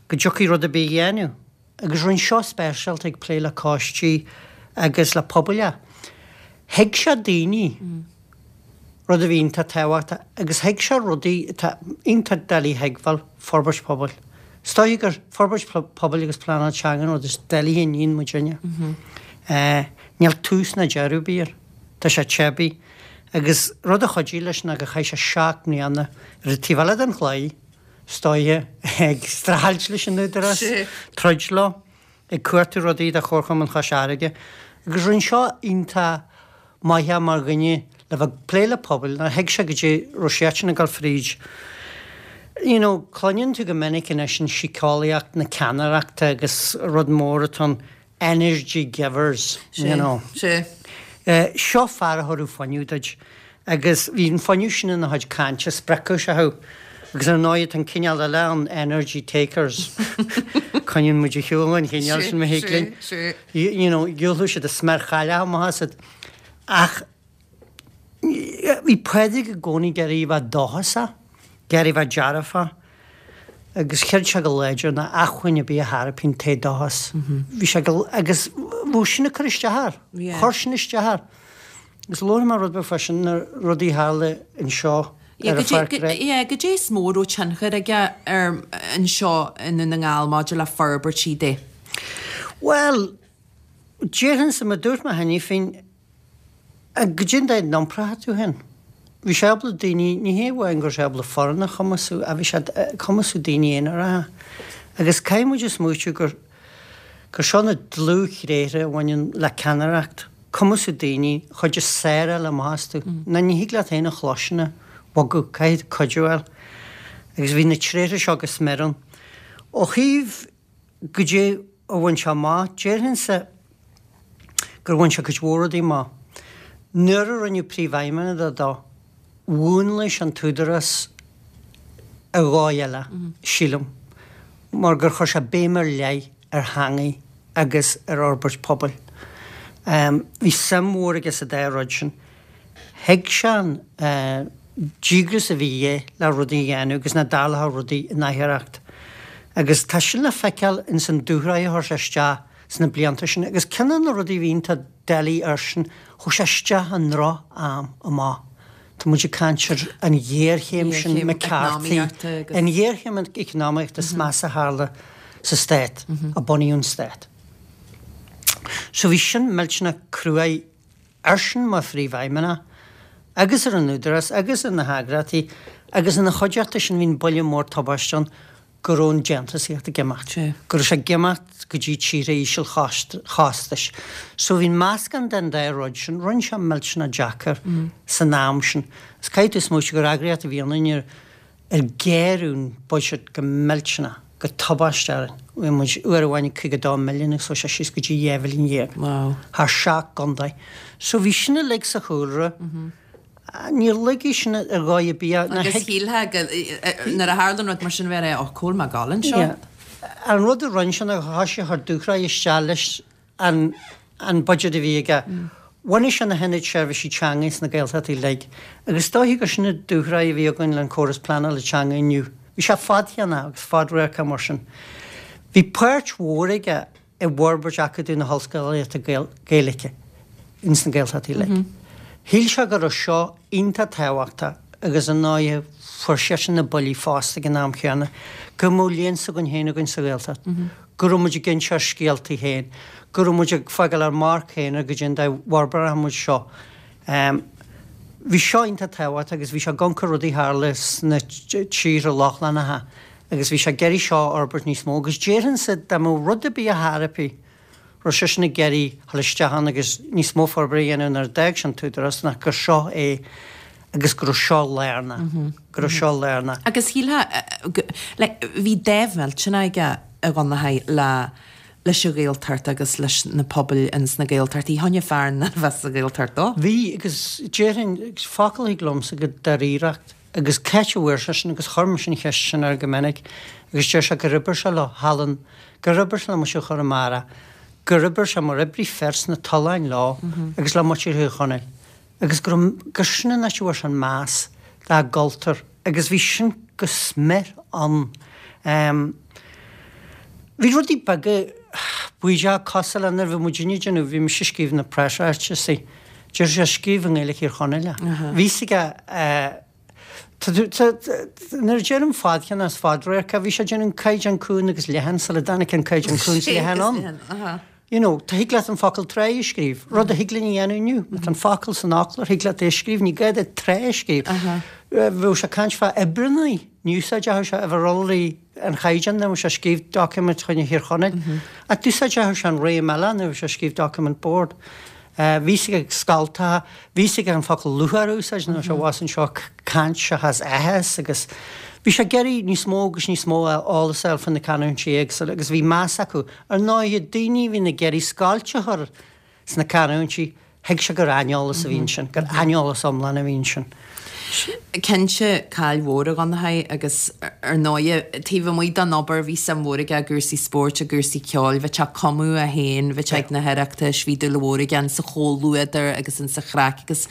go dtiocfaidh rud ar bith a dhéanamh. Agus rinne seo speisialta ag plé le coistí agus le pobail. Thuig sé daoine, rud a bhí iontach tábhachtach, agus thuig sé rudaí atá iontach doiligh a thuigbheáil, forbairt pobail. Is dóiche gur forbairt pobail agus pleanáil teanga an rud is doiligh a níonn muidinne. Níl tús ná deireadh ar bith air. Tá sé teibí. Agus rud a chuidigh leis ná gur chaith sé seacht mbliana ar an taobh eile den chlaí, is dóiche, ag streachailt leis an Údarás, troid leo, ag cuartú rudaí do Chomharchumann Chois Fharraige. Agus rinne seo iontach maith é mar dhuine le bheith ag plé le pobail, nuair a thuig sé goidé raibh siadsan ag dul fríd. You know, cluineann tú go minic anois an síceolaíocht na ceannaireachta agus rud mór atá ann, energy givers, you know. Sea. Seo fear a thabharfadh fuinneamh duit agus bhí an fuinneamh sin ina chuid cainte, spreagfadh sé thú. Agus ar ndóigh tá an cineál eile ann, energy takers. Coinníonn muid ar shiúl an chineál sin, má thig linn. You know, gheobhaidh siad an sméar chailleach amach asat. Ach bhí Pádraig i gcónaí ag iarraidh a bheith dóchasach, ag iarraidh a bheith dearfach agus chreid sé go láidir nach acmhainn ar bith a thairpeann an t-éadóchas. Bhí sé go, agus bheadh sin ag cur isteach air, chuir sin isteach air. Agus labharfaidh mé rud beag fá sin, na rudaí a tharla anseo. Yeah, ar an pháirc rugbaí. Yeah, goidé is mó a raibh tionchar aige ar anseo i nDún na nGall maidir le forbairtí de. Bhuel, déarfainnse, mar dúirt mé cheana féin, goidé an dóigh a n-iompróidh tú féin. Bhí sé ábalta daoine, ní hé amháin go raibh sé ábalta foireann a chumasú, ach bhí sé ag cumasú daoine aonaracha. Agus caithfidh muid a smaoitiú gur gur seo na dlúth-thréithre a bhaineann le ceannaireacht, cumasú daoine, chuid is saoráil amach astu. Ná ní thig leat féin a chluaiseanna a bhogadh, caithfidh tú cuidiú a fháil. Agus bhí na tréithre seo go smior ann. Ó thaobh goidé a bhain sé amach, déarfainnse gur bhain sé cuid mhór rudaí amach. Nuair a rinneadh príomhfheidhmeannach de dó, mhúnlaigh sé an tÚdarás ar dhóigh eile, sílim, mar gur chuir sé béim ar leith ar theangaidh agus ar fhorbairt pobail. Bhí suim mhór aige sa dá rud sin. Thuig sé an díograis a bhí aige le rudaí a dhéanamh agus nach dtarlódh rudaí in aithreacht. Agus tá sin le feiceáil ins an dúshraith a chuir sé isteach sna blianta sin. Agus ceann de na rudaí a bhí iontach doiligh airsean, chuaigh sé isteach i ndroch-am amach. Tá muid ag caint ar an ghéarchéim sin McCarthy, an ghéarchéim eacnamaíochta is measa a tharla sa stát, ó bunaíodh an stát. So bhí sin millteanach cruaidh airsean mar phríomhfheidhmeannach agus ar an Údarás agus ar na heagraíochtaí agus ina chuideachta sin bhí an buille mór tubaiste ann go raibh an déantúsaíocht ag imeacht, go raibh sé ag imeacht go dtí tíortha ísealchostais. So bhí an meascán den dá rud sin, rinne sé millteanach deacair san am sin. Is caithfidh tú smaoitiú gur eagraíocht a bhí ionainn ar ar géarú an buiséad go millteanach, go tubaisteach orainn. Bhí muid uair amháin ag caoga dó milliún agus chuaigh sé síos go dtí dhá mhilliún dhéag thar seacht gcontae. So bhí sin uilig sa chúlra. Níor laghdaigh sin ar dhóigh ar bith é. Agus shílfeá go, nuair a tharlaíonn rud mar sin bheifeá ag rá, cá bhfuil mé ag dul anseo? Yeah. An rud a rinne sé ná thoisigh a chur dúshraith isteach leis an an budget a bhí aige. Bhunaigh sé na hIonaid Seirbhísí Teanga sna Gaeltachtaí uilig agus is dóiche gur sin an dúshraith a bhí againn le an córas pleanála teanga inniu. Bhí sé fadtéarmach agus fadradharcach mar sin. Bhí páirt mhór aige i bhforbairt Acadamh na hOllscolaíochta Gaeilge ins na Gaeltachtaí uilig. Shíl sé go raibh seo iontach tábhachtach agus ar ndóighe fuair seisean na buillí fosta ag an am chéanna, go mbeadh léann s'againn féin againn sa Ghaeltacht, go raibh muid ag inse ár scéaltaí féin, go raibh muid ag fágáil ár marc féin ar goidé an dóigh a bhforbródh muid seo. Bhí seo iontach tábhachtach agus bhí sé ag amharc ar rudaí a tharla sna tíortha Lochlannacha agus bhí sé ag iarraidh seo a fhorbairt níos mó agus déarfainnse dá mbeadh rud ar bith ar chor ar bith raibh seisean ag iarraidh dhul isteach ann agus níos mó forbartha a dhéanamh nuair a d'fhág sé an tÚdarás ná gur seo é agus go raibh seo lárnach, go raibh seo lárnach. Agus shílfeá, like, bhí dáimh mhillteanach aige a Dhonnchaidh le leis an Ghaeltacht agus leis na pobail ins na Gaeltachtaí. Choinnigh fear ná bheith sa Ghaeltacht dó. Bhí, agus déarfainn, agus focal a thig liomsa go dáiríreacht, agus c'áit a bhfuair sé sin, agus chuir mise an cheist sin air go minic, agus deir sé gur oibir sé leo thall in, gur oibir sé le muintir Chonamara, gur oibir sé mar oibrí féir sna tolláin leo agus le muintir Thír Chonaill, agus go raibh, gur sin an áit a bhfuair sé an meas dá gcultúr, agus bhí sin go smior ann. Bhí rudaí beaga baoideach cosúil le nuair a bhí muidinne ag déanamh, bhí mise ag scríobh na preasráitisí, deir sé scríobh i nGaeilge Thír Chonaill é. Bhí fhios aige nuair a deirim fadcheann as fadradharc, bhí sé ag déanamh an caighdeán cúng agus leathan sula dtáinig an caighdeán cúng is leathan ann. You know, tá thig leat an focal tráigh a scríobh, rud a thig linn a dhéanamh inniu. Má tá an focal san fhoclóir, thig leat é a scríobh, ní gá duit tráth a scríobh. Bheadh sé ag caint fá oibreannaí, ní úsáideodh sé uimhir iolraí an chaighdeáin nuair a bheadh sé ag scríobh doiciméid choinne Thír Chonaill. Ach d'úsáideodh sé an réim eile nuair a bheadh sé ag scríobh doiciméid boird. Bhí fhios aige scoltacha, bhí fhios aige an focal lúcháir a úsáid nuair a bhí sé abhus anseo ag caint seachas áthas agus bhí sé ag iarraidh níos mó agus níos mó eolas a fháil faoi na canúintí éagsúla agus bhí meas acu. Ar ndóighe, daoine a bhíonn ag iarraidh scoilt a chur sna canúintí, thuig sé gur aineolas a bhí ansin, gur aineolas iomlán a bhí ansin. Cinnte, caill mhór a Dhonnchaidh agus ar ndóighe, taobh amuigh den obair, bhí suim mhór aige i gcúrsaí spóirt, i gcúrsaí ceoil, bhí sé ag cumadh é féin, bhí sé ag na hOireachtais, bhí dúil mhór aige insa chomhluadar agus insa chraic agus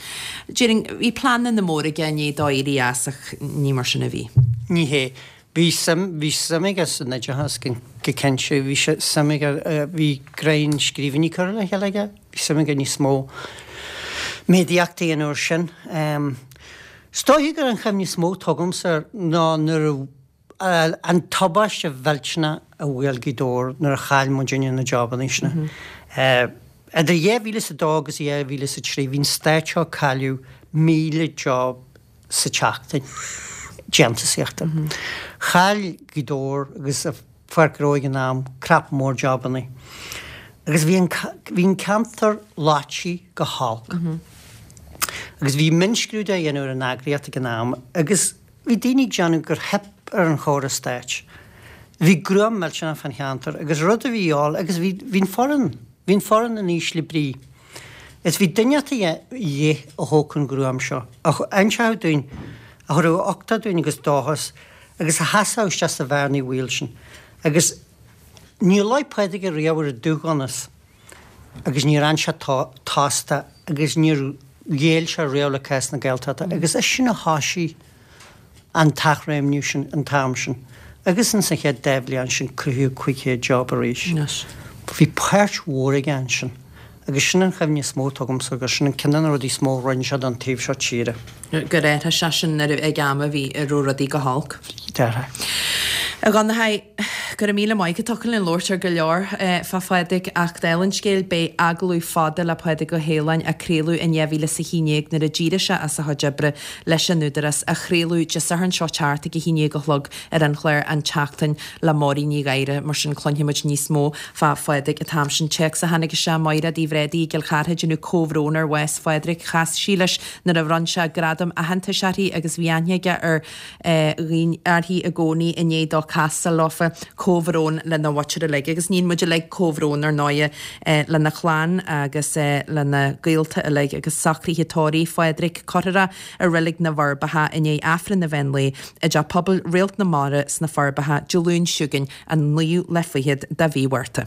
déarfainn, bhí pleananna móra aige i ndiaidh dó éirí as ach ní mar sin a bhí. Ní hé. Bhí suim, bhí suim aige san oideachas go cinnte, bhí sé, suim aige, bhí greim scríbhinní curtha le chéile aige, bhí suim aige níos mó méadaíochta a dhéanamh air sin. Is dóiche gur an chuimhne is mó atá agamsa air ná nuair a an tubaiste mhillteanach a bhuail Gaoth Dobhair nuair a chaill muidinne na jobanna sin. Idir dhá mhíle is a dó agus dhá mhíle is a trí bhí an stát seo ag cailleadh míle job sa tseachtain déantúsaíochta. Chaill Gaoth Dobhair agus Pháirc Gnó ag an am crap mór jobanna. Agus bhí an bhí an ceantar loite go holc. Agus bhí mionscrúdú á dhéanamh ar an eagraíocht ag an am agus bhí daoine ag déanamh gur theip ar an chóras stáit. Bhí gruaim millteanach fán cheantar agus rud a bhí ann agus bhí bhí an foireann bhí an foireann in ísle brí. Is bhí duine de dhíth a thógfadh an ghruaim seo, a inseodh dúinn, a thabharfadh uchtach dúinn agus dóchas agus a sheasódh isteach sa bhearna bhaoil sin. Agus níor luigh Pádraig ariamh ar an dúdhonas agus níor fhan sé tosta agus níor ghéill sé riamh le cás na Gaeltachta agus eisean a thoisigh an t-athréimniú sin an t-am sin. Agus ins an chéad dá bhliain sin cruthaíodh cúig chéad job arís. Bhí páirt mhór aige ansin agus sin an chuimhne is mó atá agamsa agus sin an ceann de na rudaí is mó a rinne sé don taobh seo tíre. Gur athraigh sé sin nuair ag am a bhí a raibh rudaí go holc. Déarfá. A Dhonnchadha, go raibh míle maith agat. Thiocfadh linn labhairt ar go leor fá Phádraig ach dála an scéil beidh agallamh fada le Pádraig Ó hAoláin a craoladh in dhá mhíle is a haon déag nuair a d'éirigh sé as a chuid oibre leis an Údarás á chraoladh Dé Sathairn seo thart ag a haon déag a chlog ar an chlár An tSeachtain le Máirín Ní Ghadhra. Mar sin cluinfidh muid níos mó fá Phádraig an t-am sin. Téacs a tháinig isteach Mairéad Uí Bhréadaí i gCill Chartha ag déanamh comhbhrón ar bhás Phádraig. Chas sí leis nuair a bhronn sé gradam aitheantais uirthi agus bhí aithne aige ar dhaoine uirthi i gcónaí i ndiaidh dó castáil leofa. Comhbhrón lena mhuintir uilig agus níonn muid uilig comhbhrón ar ndóighe lena chlann agus lena gaolta uilig agus socruithe tórraimh Phádraig curtha i Reilig na bhForbacha i ndiaidh Aifreann an mheán lae i dTeach Pobail Réalt na Mara sna Forbacha Dé Luain seo chugainn an naoú lá fichead de mhí Mhárta.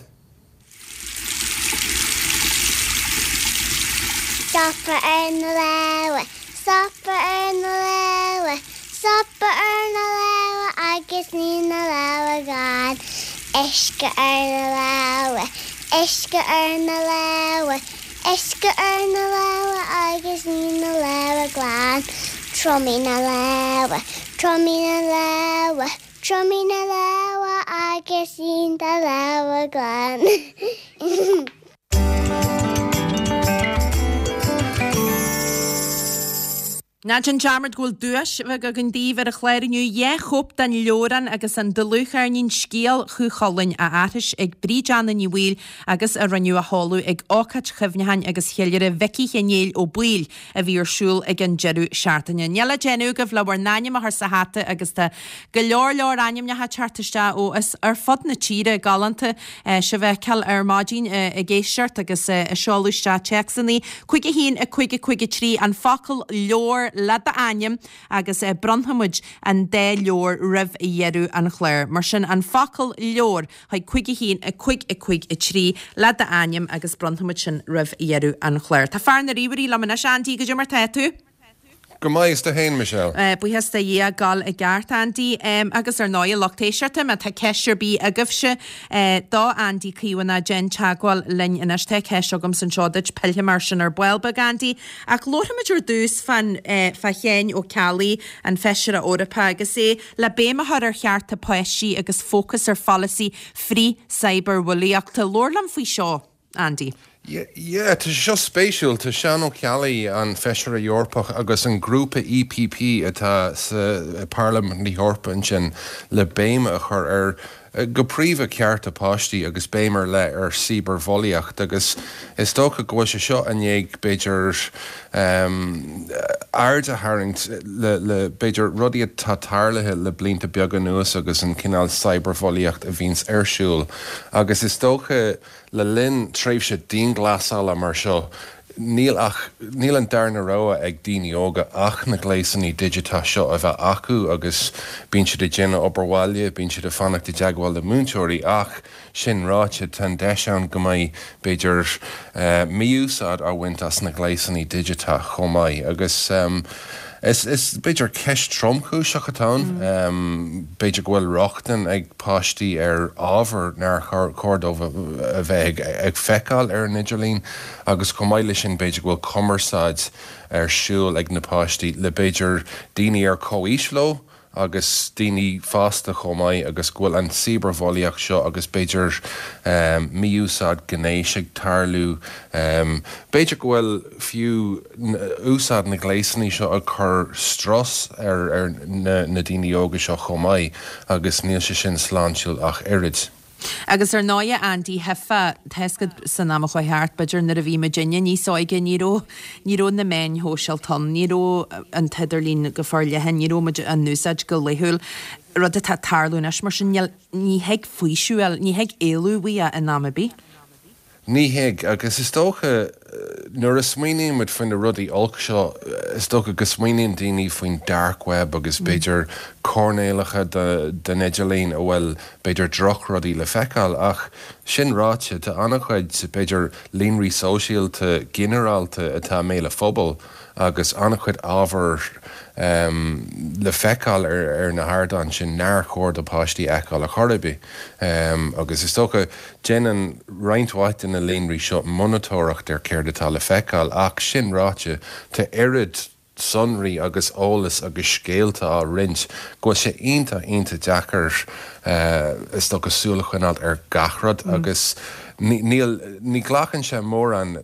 Stopadh ar na lámha, stopadh ar na lámha, stopadh ar na lámha agus ní na lámha glan. Uisce ar na lámha, uisce ar na lámha, uisce ar na lámha agus ní na lámha glan. Triomaigh na lámha, triomaigh na lámha, triomaigh na lámha agus ní do lámha glan. Ná déan dearmad go bhfuil duais bheag againn daoibh ar an chlár inniu, dhá chóip den leabhrán agus an dlúthcheirnín Scéal Chú Chulainn á aithris ag Bríd Anna Ní Bhaoill agus a rinneadh a sheoladh ag ócáid chuimhneacháin agus cheiliúradh Mhicí Chinéil Ó Baoill a bhí ar siúl ag an deireadh seachtaine. Níl le déanamh agaibh le bhur n-ainm a chur sa hata agus tá go leor leor ainmneacha ag teacht isteach ó is ar fud na tíre, galánta sibh a fheiceáil ar maidin ag éisteacht agus ag seoladh isteach téacsanna. Cúig a haon, a cúig a cúig a trí, an focal leabhar le d'ainm agus bronnfaidh muid an dá leabhar roimh dheireadh an chláir. Mar sin, an focal leabhar chuig cúig a haon, a cúig a cúig a trí le d'ainm agus bronnfaidh muid sin roimh dheireadh an chláir. Tá fear na ríomhairí liom anois, Andy, goidé mar tá tú? Go maith, is tú fhéin, Michelle? Buíochas do Dhia, ag gabháil i gceart, Andy. Agus ar ndóigh, a lucht éisteachta, má tá ceist ar bith agaibhse do Andy Caomhánach, déan teagmháil linn anois. Tá ceist agamsa anseo duit, pillfidh mé air sin ar ball beag, Andy. Ach labharfaimid ar dtús fán, fá Sheán Ó Ceallaigh, an Feisire Eorpach, agus é le béim a chur ar chearta páistí agus fócas ar pholasaí frith-cyberbhulaíochta. Labhair liom faoi seo, Andy. Yeah, tá sé seo spéisiúil. Tá Seán Ó Ceallaigh, an Feisire Eorpach agus an grúpa EPP atá sa Parlaimint na hEorpa ansin le béim a chur ar go príomha cearta páistí agus béim ar leith ar cibearbhulaíocht agus is dócha go bhfuil sé seo i ndiaidh b'fhéidir aird a tharraingt le le b'fhéidir rudaí atá tarlaithe le blianta beaga anuas agus an cineál cyberbhulaíocht a bhíonns ar siúl agus is dócha Le linn tréimhse dianghlasála mar seo, níl ach, níl an darna rogha ag daoine óga ach na gléasanna digiteacha seo a bheith acu agus bíonn siad ag déanamh obair bhaile, bíonn siad ag fanacht i dteagmháil le múinteoirí ach, sin ráite, tá an deis ann go mbeidh, b'fhéidir, mí-úsáid á bhaint as na gléasanna digiteacha chomh maith agus. Is, is b'fhéidir ceist tromchúiseach atá ann. B'fhéidir go bhfuil rochtain ag páistí ar ábhar nár chóir dóibh a bheith ag feiceáil ar an idirlíon agus chomh maith leis sin b'fhéidir go bhfuil cumarsáid ar siúl ag na páistí le b'fhéidir daoine ar comhaois leo agus daoine fásta chomh maith agus go bhfuil an cibearbhulaíocht seo agus b'fhéidir mí-úsáid gnéis ag tarlú. B'fhéidir go bhfuil fiú úsáid na ngléasanna seo ag cur strus ar ar na na daoine óga seo chomh maith agus níl sé sin sláintiúil ach oiread. Agus ar ndóigh, Andy, thífeá, tá 'fhios agat san am a chuaigh thart, b'fhéidir nuair a bhí muidinne níos óige, ní raibh, ní raibh na meáin shóisialta ann, ní raibh an t-idirlíon go forleathan, ní raibh muid á n-úsáid go laethúil, rud atá ag tarlú anois, mar sin níl, ní thig faoiseamh a fháil, ní thig éalú uaidh in am ar bith. Ní thig, agus is dócha nuair a smaoiníonn muid faoi na rudaí olc seo, is dócha go smaoiníonn daoine faoin dark web agus b'fhéidir coirnéalacha den idirlíon a bhfuil b'fhéidir drochrudaí le feiceáil. Ach sin ráite, tá an-chuid b'fhéidir líonraí sóisialta ginearálta atá i mbéal an phobail agus an-chuid ábhar le feiceáil ar na hardáin sin nár chóir do pháistí a fheiceáil ar chor ar bith. Agus is dócha, déanann roinnt mhaith de na líonraí seo monatóireacht ar céard atá le feiceáil ach sin ráite, tá oiread sonraí agus eolas agus scéalta á roinnt go bhfuil sé iontach, iontach deacair is dócha súil a choinneáil ar gach rud agus níl, ní ghlacann sé mórán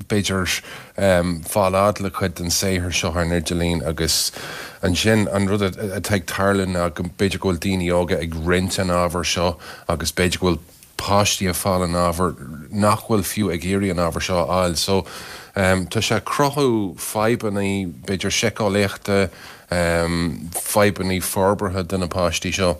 b'fhéidir fáil fhad le cuid den saothar seo ar an idirlíon agus ansin an rud atá ag tarlú ná go b'fhéidir go bhfuil daoine óga ag roinnt an ábhair seo agus b'fhéidir go bhfuil páistí ag fáil an ábhar nach bhfuil fiú ag iarraidh an ábhar seo a fháil. So tá sé ag cruthú fadhbanna b'fhéidir síceolaíochta, fadhbanna forbartha do na páistí seo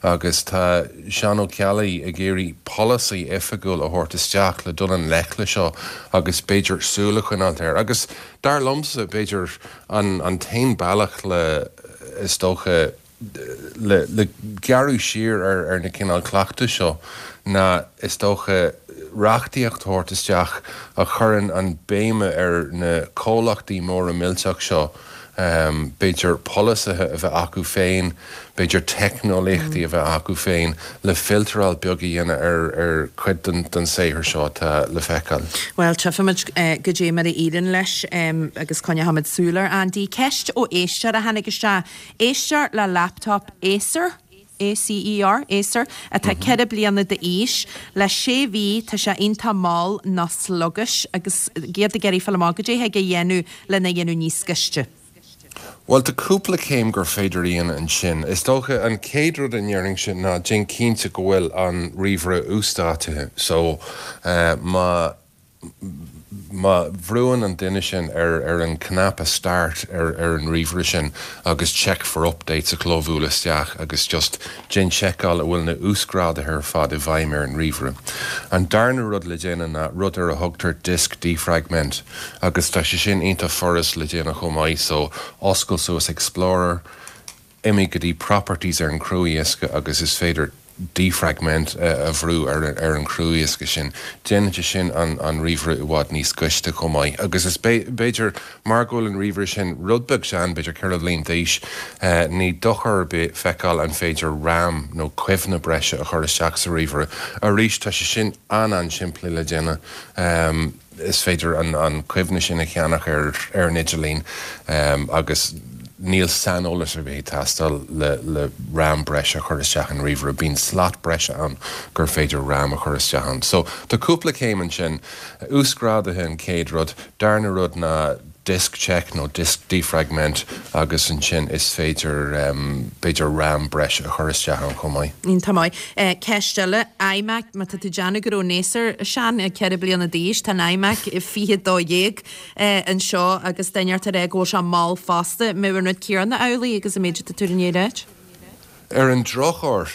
agus tá Seán Ó Ceallaigh ag iarraidh polasaí oifigiúil a thabhairt isteach le dul i ngleic le seo agus b'fhéidir súil a choinneáilt air. Agus dar liomsa b'fhéidir an an t-aon bealach le is dócha le le gearradh siar ar ar na cineál cleachtais seo ná is dócha reachtaíocht a thabhairt isteach a chuireann an béime ar na comhlachtaí móra millteach seo, b'fhéidir polasaithe a bheith acu féin, b'fhéidir teicneolaíochtaí a bheith acu féin le filteráil beag a dhéanamh ar ar chuid den den saothar seo atá le feiceáil. Bhuel, tchífimid goidé mar a éiríonn leis agus coinneochaimid súil air, Andy. Ceist ó éisteoir a tháinig isteach. Éisteoir le laptop Acer, A C E R, Acer, atá ceithre bliana d'aois. Le sé mhí tá sé iontach mall nó sluggish agus iad ag iarraidh fáil amach goidé a thig a dhéanamh lena dhéanamh níos gaiste. Bhuel, tá cúpla céim gur féidir a dhéanamh ansin. Is dócha an chéad rud a ndéarfainnse ná déan cinnte go bhfuil an ríomhaire uasdátaithe. So, má má bhrúann an duine sin ar ar an cnaipe start ar ar an ríomhaire sin agus check for updates a chlóbhualadh isteach agus just déan seiceáil a bhfuil na uasghráduithe ar fad i bhfeidhm ar an ríomhaire. An darna rud le déanamh ná rud ar a thugtar disk defragment agus tá sé sin iontach furast le déanamh chomh maith so oscail suas Explorer, imigh go dtí properties ar an cruadhiosca agus is féidir defragment a bhrú ar ar an cruadhiosca sin. Déanann sé sin an an ríomhaire i bhfad níos gaiste chomh maith. Agus is b'fhéidir mar go bhfuil an ríomhaire sin rud beag sean, b'fhéidir ceithre bhliain d'aois, ní dochar ar bith feiceáil an féidir RAM nó cuimhne breise a chur isteach sa ríomhaire. Arís tá sé sin an-an-simplí le déanamh. Is féidir an an cuimhne sin a cheannach ar ar an idirlíon agus níl saineolas ar bith ag teastáil le le RAM breise a chur isteach in ríomhaire. Bíonn slot breise ann gur féidir RAM a chur isteach ann. So tá cúpla céim ansin. Uasghráduithe an chéad rud. Darna rud ná disk check nó disk defragment agus ansin is féidir b'fhéidir RAM breise a chur isteach ann chomh maith. Iontach maith. Ceist eile, iMac, má tá tú ag déanamh go raibh an Acer sean, ceithre bliana d'aois, tá an iMac fiche dó dhéag anseo agus duine ag rá go bhfuil sé mall fosta. An mbeadh an rud céanna amhlaidh agus an méid atá tú i ndiaidh a ráit? Ar an drochuair,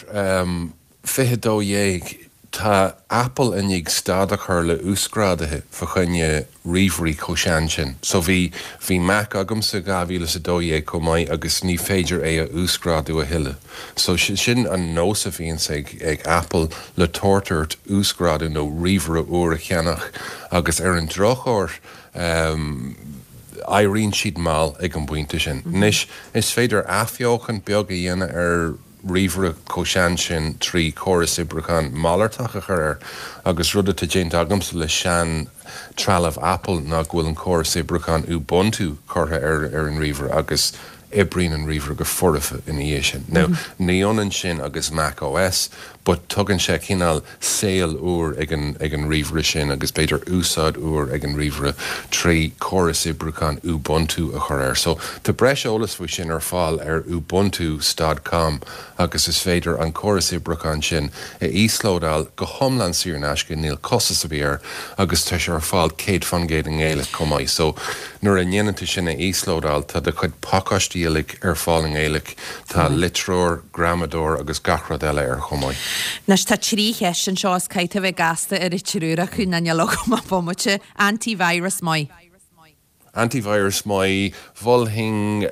fiche dó dhéag, tá Apple i ndiaidh stad a chur le uasghráduithe fa choinne ríomhairí chomh sean sin. So bhí bhí Mac agamsa dhá mhíle is a dó dhéag chomh maith agus ní féidir é a uasghrádú a thuilleadh. So sin an nós a bhíonns ag ag Apple le tabhairt ort uasghrádú nó ríomhaire úr a cheannach agus ar an drochuair, éiríonn siad mall ag an bpointe sin. Anois, is féidir athbheochan beag a dhéanamh ar ríomhaire chomh sean sin trí chóras oibriúcháin malartach a chur air agus rud atá déanta agamsa le sean trealamh Apple ná go bhfuil an córas oibriúcháin Ubuntu curtha ar ar an ríomhaire agus oibríonn an ríomhaire go foirfe ina dhiaidh sin. Now, ní ionann sin agus Mac OS, but tugann sé cineál saol úr ag an ag an ríomhaire sin agus b'fhéidir úsáid úr ag an ríomhaire trí chóras oibriúcháin Ubuntu a chur air. So tá breis eolas faoi sin ar fáil ar ubuntu dot com agus is féidir an córas oibriúcháin sin a íoslódáil go hiomlán saor in aisce, níl costas ar bith air agus tá sé ar fáil céad faoin gcéad i nGaeilge chomh maith. So nuair a ndéanann tú sin a íoslódáil tá do chuid pacáistí uilig ar fáil i nGaeilge, tá litreoir, gramadóir agus gach rud eile air chomh maith. Anois tá trí cheist anseo is caithfidh tú a bheith gasta ar an triúr acu nó níl agam ach bomaite. Antivirus maith. Antivirus maith, mholfainn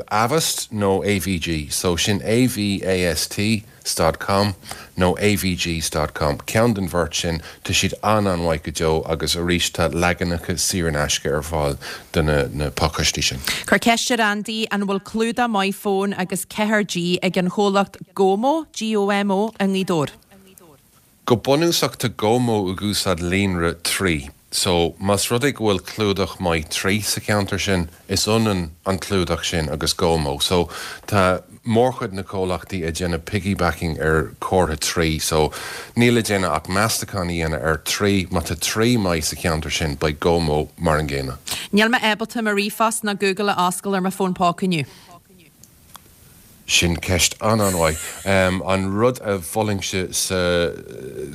Avast nó AVG. So sin AVAST dot com nó AVG dot com. Ceann den bheirt sin, tá siad an-an-mhaith go deo agus arís tá leaganacha saor in aisce ar fáil do na na pacáistí sin. Cuir ceist ar Andy an bhfuil clúdach maith fón agus ceathair G ag an chomhlacht GOMO, GOMO, i nGaoth Dobhair? Go bunúsach tá GOMO ag úsáid líonra Three. So, más rud é go bhfuil clúdach maith Three sa cheantar sin, is ionann an clúdach sin agus GOMO. So, tá mórchuid na comhlachtaí ag déanamh piggybacking ar chomhartha Three. So, níl le déanamh ach meastachán a dhéanamh ar Three. Má tá Three maith sa cheantar sin, beidh GOMO mar an gcéanna. Níl mé ábalta mo ríomhphost ná Google a oscail ar mo fón póca inniu. Sin ceist an-an-mhaith. An rud a mholfainnse sa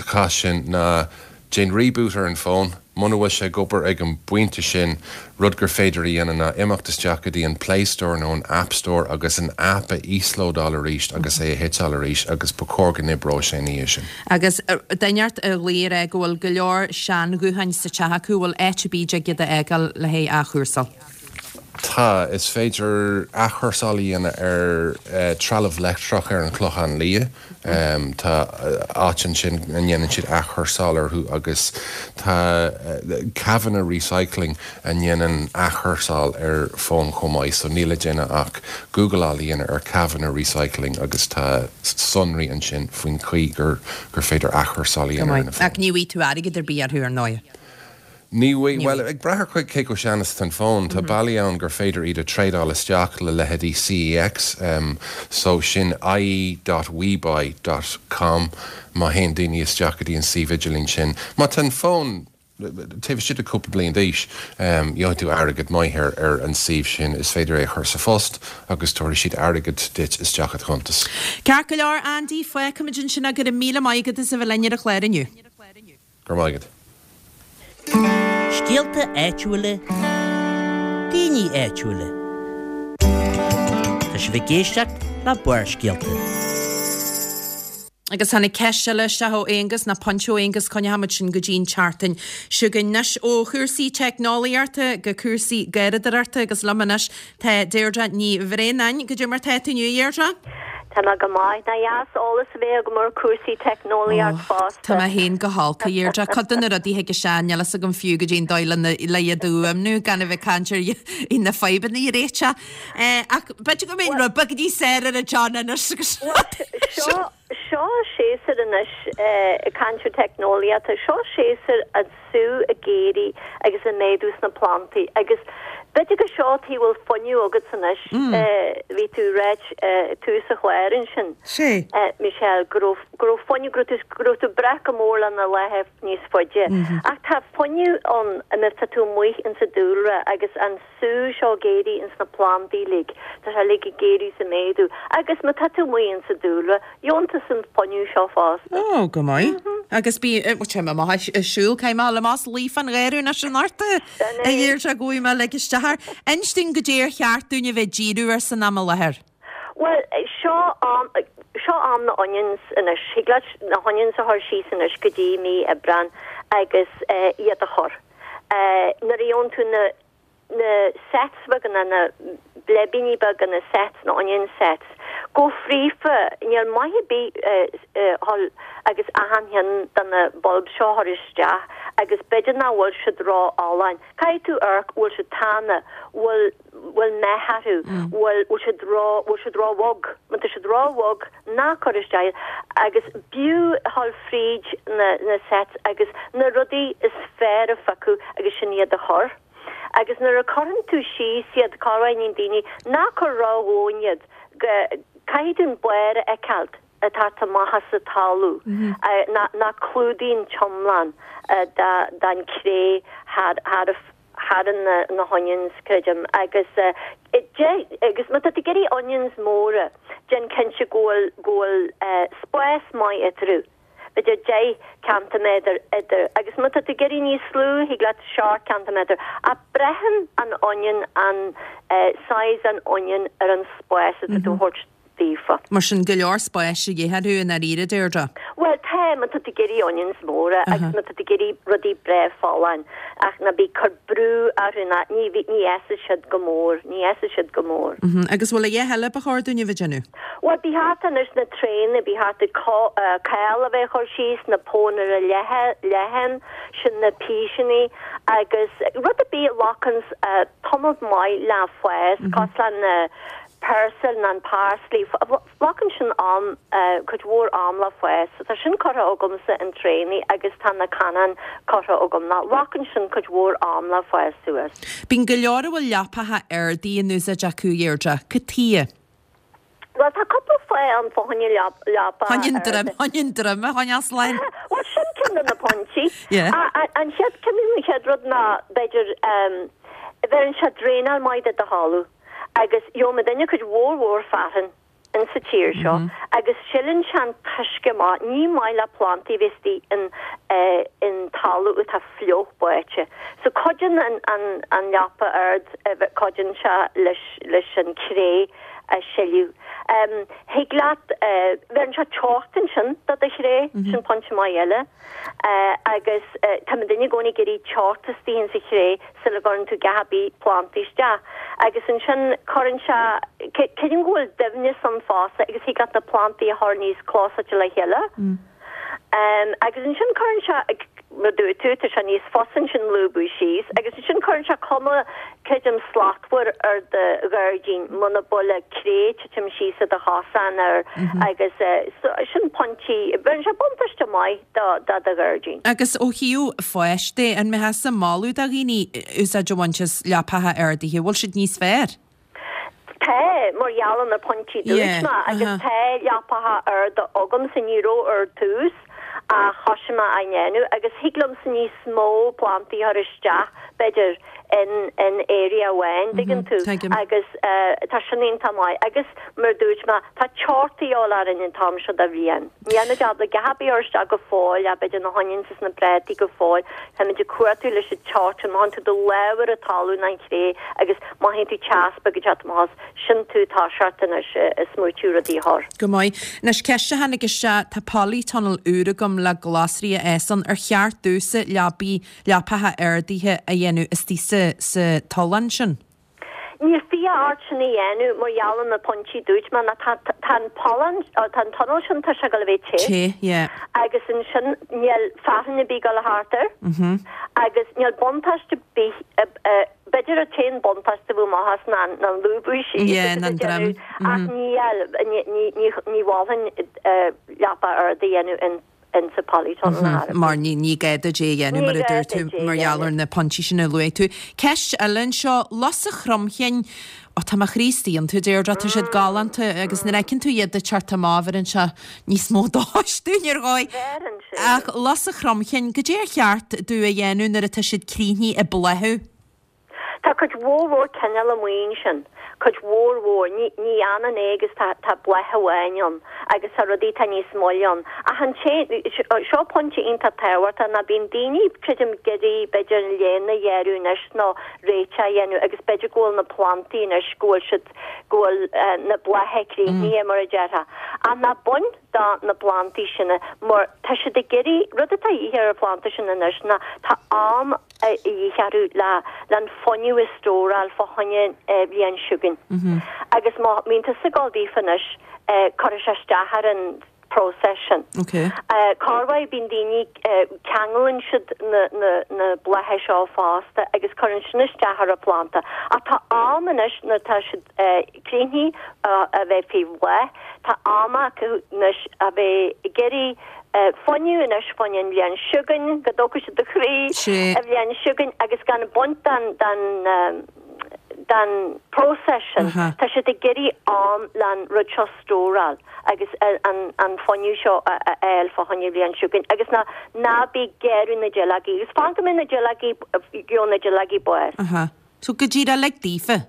chás sin ná déan reboot ar an bhfón. Muna bhfuil sé ag obair ag an bpointe sin, rud gur féidir a dhéanamh ná imeacht isteach go dtí an Play Store nó an App Store agus an app a íoslódáil arís agus é a shuiteáil arís agus ba chóir go n-oibreoidh sé ina dhiaidh sin. Agus duine inteacht a ghlaoigh a rá go bhfuil go leor seanghutháin sa teach acu, bhfuil áit ar bith a dtig iad a fhágáil le haghaidh athchúrsáil? Tá, is féidir athchúrsáil a dhéanamh ar trealamh leictreach ar an Chlochán Liath. Tá áit ansin a ndéanann siad athchúrsáil orthu agus tá Kavanagh Recycling a ndéanann athchúrsáil ar fóin chomh maith so níl le déanamh ach Googleáil a dhéanamh ar Kavanagh Recycling agus tá sonraí ansin faoin chaoi gur gur féidir athchúrsáil a dhéanamh ar na fóin. Ach ní bhfaighidh tú airgead ar bith orthu ar ndóigh. Ní bhfaighidh, bhuel, ag brath ar cé chomh sean is atá an fón, tá bealaí ann gur féidir iad a trádáil isteach le leithéidí CEX, so sin ie dot webuy dot com má théann daoine isteach go dtí an suíomh idirlín sin. Má tá an fón taobh istigh de cúpla bliain d'aois, gheobhaidh tú airgead maith ar ar an suíomh sin, is féidir é a chur sa phost agus tabharfaidh siad airgead duit isteach i do chuntas. Ceart go leor, Andy, fágfaimid ansin é, go raibh míle maith agat as a bheith linn ar an chlár inniu. Go raibh maith agat. Scéalta áitiúla, daoine áitiúla. Tá sibh ag éisteacht le Barrscéalta. Agus tháinig ceist eile isteach ó Aonghus, nó pointe ó Aonghus, coinneochaimid sin go dtí an tseachtain seo chugainn. Anois ó chúrsaí teicneolaíochta go cúrsaí garraíodóireachta agus liom anois tá Deirdre Ní Bhraonáin. Goidé mar tá tú inniu, a Dheirdre? Tá mé go maith. Nach deas eolas a bheith agam ar chúrsaí teicneolaíocht fosta. Tá mé féin go holc, a Dheirdre. Cuid de na rudaí a thig isteach, níl fhios agam fiú goidé an dóigh lena le iad a fhuaimniú, gan a bheith ag caint ar na fadhbanna a réiteach. Ach b'fhéidir go mbeinn rud beag níos fearr ar an John anois agus Seo seo séasúr anois, ag caint ar teicneolaíocht, seo séasúr an sú ag éirí agus ag méadú sna plantaí agus b'fhéidir gur seo tuige bhfuil fuinneamh agatsa anois, bhí tú ag ráit tús an chláir ansin, Michelle, go raibh, go raibh fuinneamh, go raibh tú, go raibh tú ag brath go mór le na laethe níos faide. Ach tá fuinneamh ann má tá tú amuigh insa dúlra agus an sú seo ag éirí ins na plandaí uilig, tá sé uilig ag éirí is ag méadú agus má tá tú amuigh insa dúlra, gheobhann tusa an fuinneamh seo fosta. Ó, go maith. Agus bí, bhuel, téim amach ag siúl, caithfidh mé dul amach is luí fán gharradh anois anocht, a Dheirdre, go bhfaighidh mé lig isteach air. Inis dúinn goidé ar cheart dúinn a bheith ag díriú air san am i láthair. Bhuel, seo am, seo am na onions anois. Thig leat na honions a chur síos anois go dtí mí Aibreán agus iad a chur. Nuair a gheobhann tú na, na sets beaga, na bleibíní beaga, na sets, na onion sets, go fríofa, níl maith ar bith dhul agus achan cheann de na bulbs seo a chur isteach agus b'fhéidir nach bhfuil siad ró-fholláin. Caithfidh tú amharc, bhfuil siad tana, bhfuil bhfuil meath orthu, bhfuil bhfuil siad ró bhfuil siad ró-bhog. Má tá siad ró-bhog, ná cuir isteach iad agus b'fhiú a dhul fríd na na sets agus na rudaí is fearr a phiocadh agus sin iad a chur. Agus nuair a chuireann tú síos iad, cabhraíonn daoine, ná cuir ró-dhomhain iad, go caithfidh tú an barr a fheiceáilt ag teacht amach as an talamh, nach clúdaíonn t-iomlán den chré thar thar na honions, creidim. Agus agus má tá tú ag iarraidh onions móra, déan cinnte go bhfuil go bhfuil spás maith eatarthu, b'fhéidir deich ceintiméadar idir, agus má tá tú ag iarraidh níos lú, thig leat seacht ceintiméadar. Ach braitheann an onion, an size an onion ar an spás atá tú a thabhairt daofa. Mar sin, go leor spáis a dhíth orthu i ndáiríre, Deirdre. Bhuel, tá, má tá tú ag iarraidh onions móra agus má tá tú ag iarraidh rudaí breá folláin, ach ná bí ag cur brú orthu ná ní ní fhásfaidh siad go mór, ní fhásfaidh siad go mór. Agus bhfuil a dhath eile ba chóir dúinn a bheith ag déanamh? Bhuel, ba cheart anois na tréanna, ba cheart cál a bheith ag cur síos, na pónaire leathan, sin na píseanna agus rud ar bith a ghlacanns tamall maith le fás, cosúil le na peirsil ná an parsley, glacann sin am, cuid mhór am le fás. So tá sin curtha agamsa in tréanna agus tá na cannáin curtha agam ná glacann sin cuid mhór am le fás suas. Bíonn go leor a bhfuil leapacha ardaithe in úsáid acu, a Dheirdre. Cad tuighe? Bhuel, tá cúpla fáth ann fá choinne leapacha Choinne an droim, choinne an droim a choinneáil slán. Bhuel, sin ceann de na pointí. An chéad, ceann an chéad rud ná, b'fhéidir, bheireann sé draenáil maith do do thalamh. Agus gheobhaidh muidinne cuid mhór mhór fearthainn in sa tír seo agus sileann sé an t-uisce amach. Ní maith le plantaí a bheith istigh in in talamh atá fliuch báite. So cuidíonn an an an leapa ard cuidíonn sé leis leis an cré a sileadh. Thig leat bheireann sé teocht ansin do do chré, sin pointe maith eile. Agus tá muidinne i gcónaí ag iarraidh teocht istigh insa chré sula gcuireann tú gach ar bith plantaí isteach. Agus ansin cuireann sé, creidim go bhfuil doimhneas ann fosta agus thig leat na plantaí a chur níos clósáilte le chéile. Agus ansin cuireann sé, mar dúirt tú, tá sé níos fusa ansin lúbadh síos agus ansin cuireann sé cuma, creidim, slachtmhar ar do ghairdín muna bhfuil cré ag titim síos ar do chosán ar agus sin pointí, bheireann sé buntáiste maith do do do ghairdín. Agus ó thaobh fáis de, an mbeifeása ag moladh do dhaoine úsáid a bhaint as leapacha ardaithe, bhfuil siad níos fearr? Tá, mar gheall ar na pointí dúirt mé, agus tá leapacha arda agamsa, ní raibh ar dtús ach thosaigh mé á ndéanamh agus thig liomsa níos mó plantaí a chur isteach, b'fhéidir, in in area amháin, dtuigeann tú, agus tá sin iontach maith. Agus mar a dúirt mé, tá teocht a dhíobháil orainn an t-am seo de bhliain. Níl muid ábalta a dhath ar bith a chur isteach go fóill, ach b'fhéidir na honions is na prátaí go fóill, táimid ag cuartú leis an teocht sin, mothaíonn tú do lámh ar an talamh ná an chré agus mothaíonn tú teas beag ag teacht amach as, sin tú ag toiseacht anois ag smaoitiú rudaí a chur. Go maith. Anois ceist a tháinig isteach, tá polytunnel úr agam le glasraí a fhás ann, ar cheart domhsa leapaí, leapacha ardaithe a dhéanamh istigh sa, sa tollán sin? Níl fiacha ort sin a dhéanamh mar gheall ar na pointí dúirt mé ná tá tá an pollán tá an tunnel sin tá sé ag dul a bheith te. Te, yeah. Agus ansin níl fearthainn ar bith ag dul thart air. Agus níl buntáiste ar bith b'fhéidir an t-aon buntáiste a bheadh amach as ná ná an lúbadh síos Yeah, ná an droim. Ach níl ní ní ní ní mholfainn leapa ard a dhéanamh in insa polytunnel ar bith. Mar ní ní gá duit é a dhéanamh mar a dúirt tú mar gheall ar na pointí sin a luaigh tú. Ceist eile anseo, lus an chromchinn, ó tá mo chroí istigh iontu Deirdre, tá siad galánta agus nuair a fheiceann tú iad ag teacht amach bheireann sé níos mó dóchais dúinn ar dhóigh. Bheireann sé. Ach lus an chromchinn, goidé ar cheart domh a dhéanamh nuair atá siad críochnaithe ag bláthú? Tá cuid mhór mhór cineál amuigh ansin, cuid mhór mhór, ní, ní fhanann é agus tá, tá bláth amháin ann agus tá rudaí atá níos moille ann. Ach an té, seo pointe iontach tábhachtach ná bíonn daoine, creidim, ag iarraidh b'fhéidir an léana a ghearradh anois nó réiteach a dhéanamh agus b'fhéidir go bhfuil na plantaí anois, go bhfuil siad, go bhfuil na blátha críochnaithe mar a déarfá. Ach ná bain do na plantaí sin mar tá siad ag iarraidh, rud atá a dhíth ar an phlanda sin anois ná tá am, a dhíth orthu le le an fuinneamh a stóráil fá choinne bhliain seo chugainn. Agus má bhíonn tusa ag gabháil daofa anois, cuirfidh sé isteach ar an próiseas sin. Corruair bíonn daoine, ceanglann siad na blátha seo fosta agus cuireann sin isteach ar an phlanda. Ach tá am anois nuair atá siad críochnaithe a bheith faoi bhláth, tá am acu anois a bheith ag iarraidh fuinneamh anois fá choinne an bhliain seo chugainn, go dtógfaidh siad do chroí an bhliain seo chugainn agus gan baint den den próiseas sin. Tá siad ag iarraidh am le an rud seo stóráil agus an fuinneamh seo a fháil fá choinne an bhliain seo chugainn agus ná ná bí ag gearradh na duilleogaí agus fan go mbeidh na duilleogaí gheobhaidh na duilleogaí bás. So go díreach lig daofa.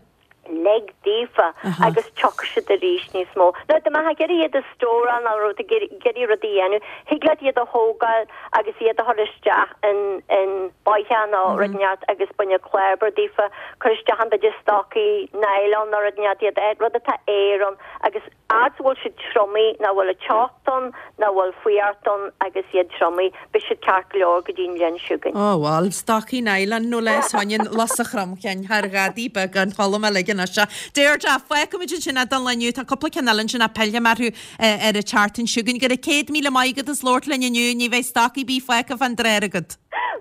Lig daofa agus tiocfaidh siad arís níos mó. Now dá mbeifeá ag iarraidh iad a stóráil nó rud ag iarraidh rud a dhéanamh, thig leat iad a thógáil agus iad a chur isteach in in bóitheach nó rud inteacht agus bain clábar daofa, cuir isteach in b'fhéidir stocaí nylon nó rud inteacht iad, rud atá aer ann agus fhad is a bhfuil siad triomaithe, nach bhfuil an teocht ann, nach bhfuil fuireacht ann agus iad triomaithe, beidh siad ceart go leor go dtí an bhliain seo chugainn. Ó bhuel, stocaí nylon nó leis onion lus a chromchinn thar ghadaí beag an cholm a ligean as seo. Deirdre, fágfaimid ansin é don lá inniu, tá cúpla ceann eile ansin ach pillfidh mé orthu ar an tseachtain seo chugainn. Go raibh céad míle maith agat as labhairt linn inniu, ní bheidh stocaí ar bith fágtha fán dtráth agat.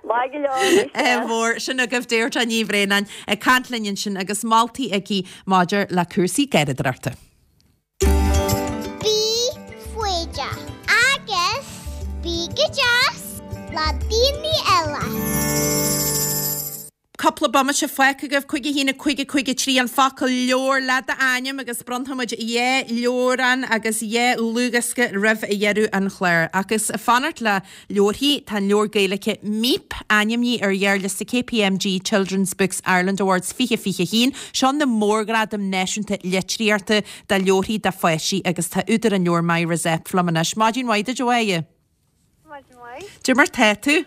Maith go leor, Ádh mhór, sin agaibh Deirdre Ní Bhraonáin ag caint linn ansin agus moltaí aici maidir le cúrsaí garraíodóireachta. Bí foighdeach agus bí go deas le daoine eile. Cúpla bomaite fágtha agaibh, cúig a haon a cúig a cúig a trí an focal leabhar le d'ainm agus bronnfaimid dhá leabhrán agus dhá dhlúthdhiosca roimh dheireadh an chláir. Agus ag fanacht le leabharthaí, tá an leabhar Gaeilge Míp ainmnithe ar ghearrliosta KPMG Children's Books Ireland Awards fiche fiche a haon. Seo na mórghradaim náisiúnta litríochta do leabharthaí do pháistí agus tá údar an leabhair Máire Zepf liom anois. Maidin mhaith duit a Mháire. Maidin mhaith. Cad é mar tá tú?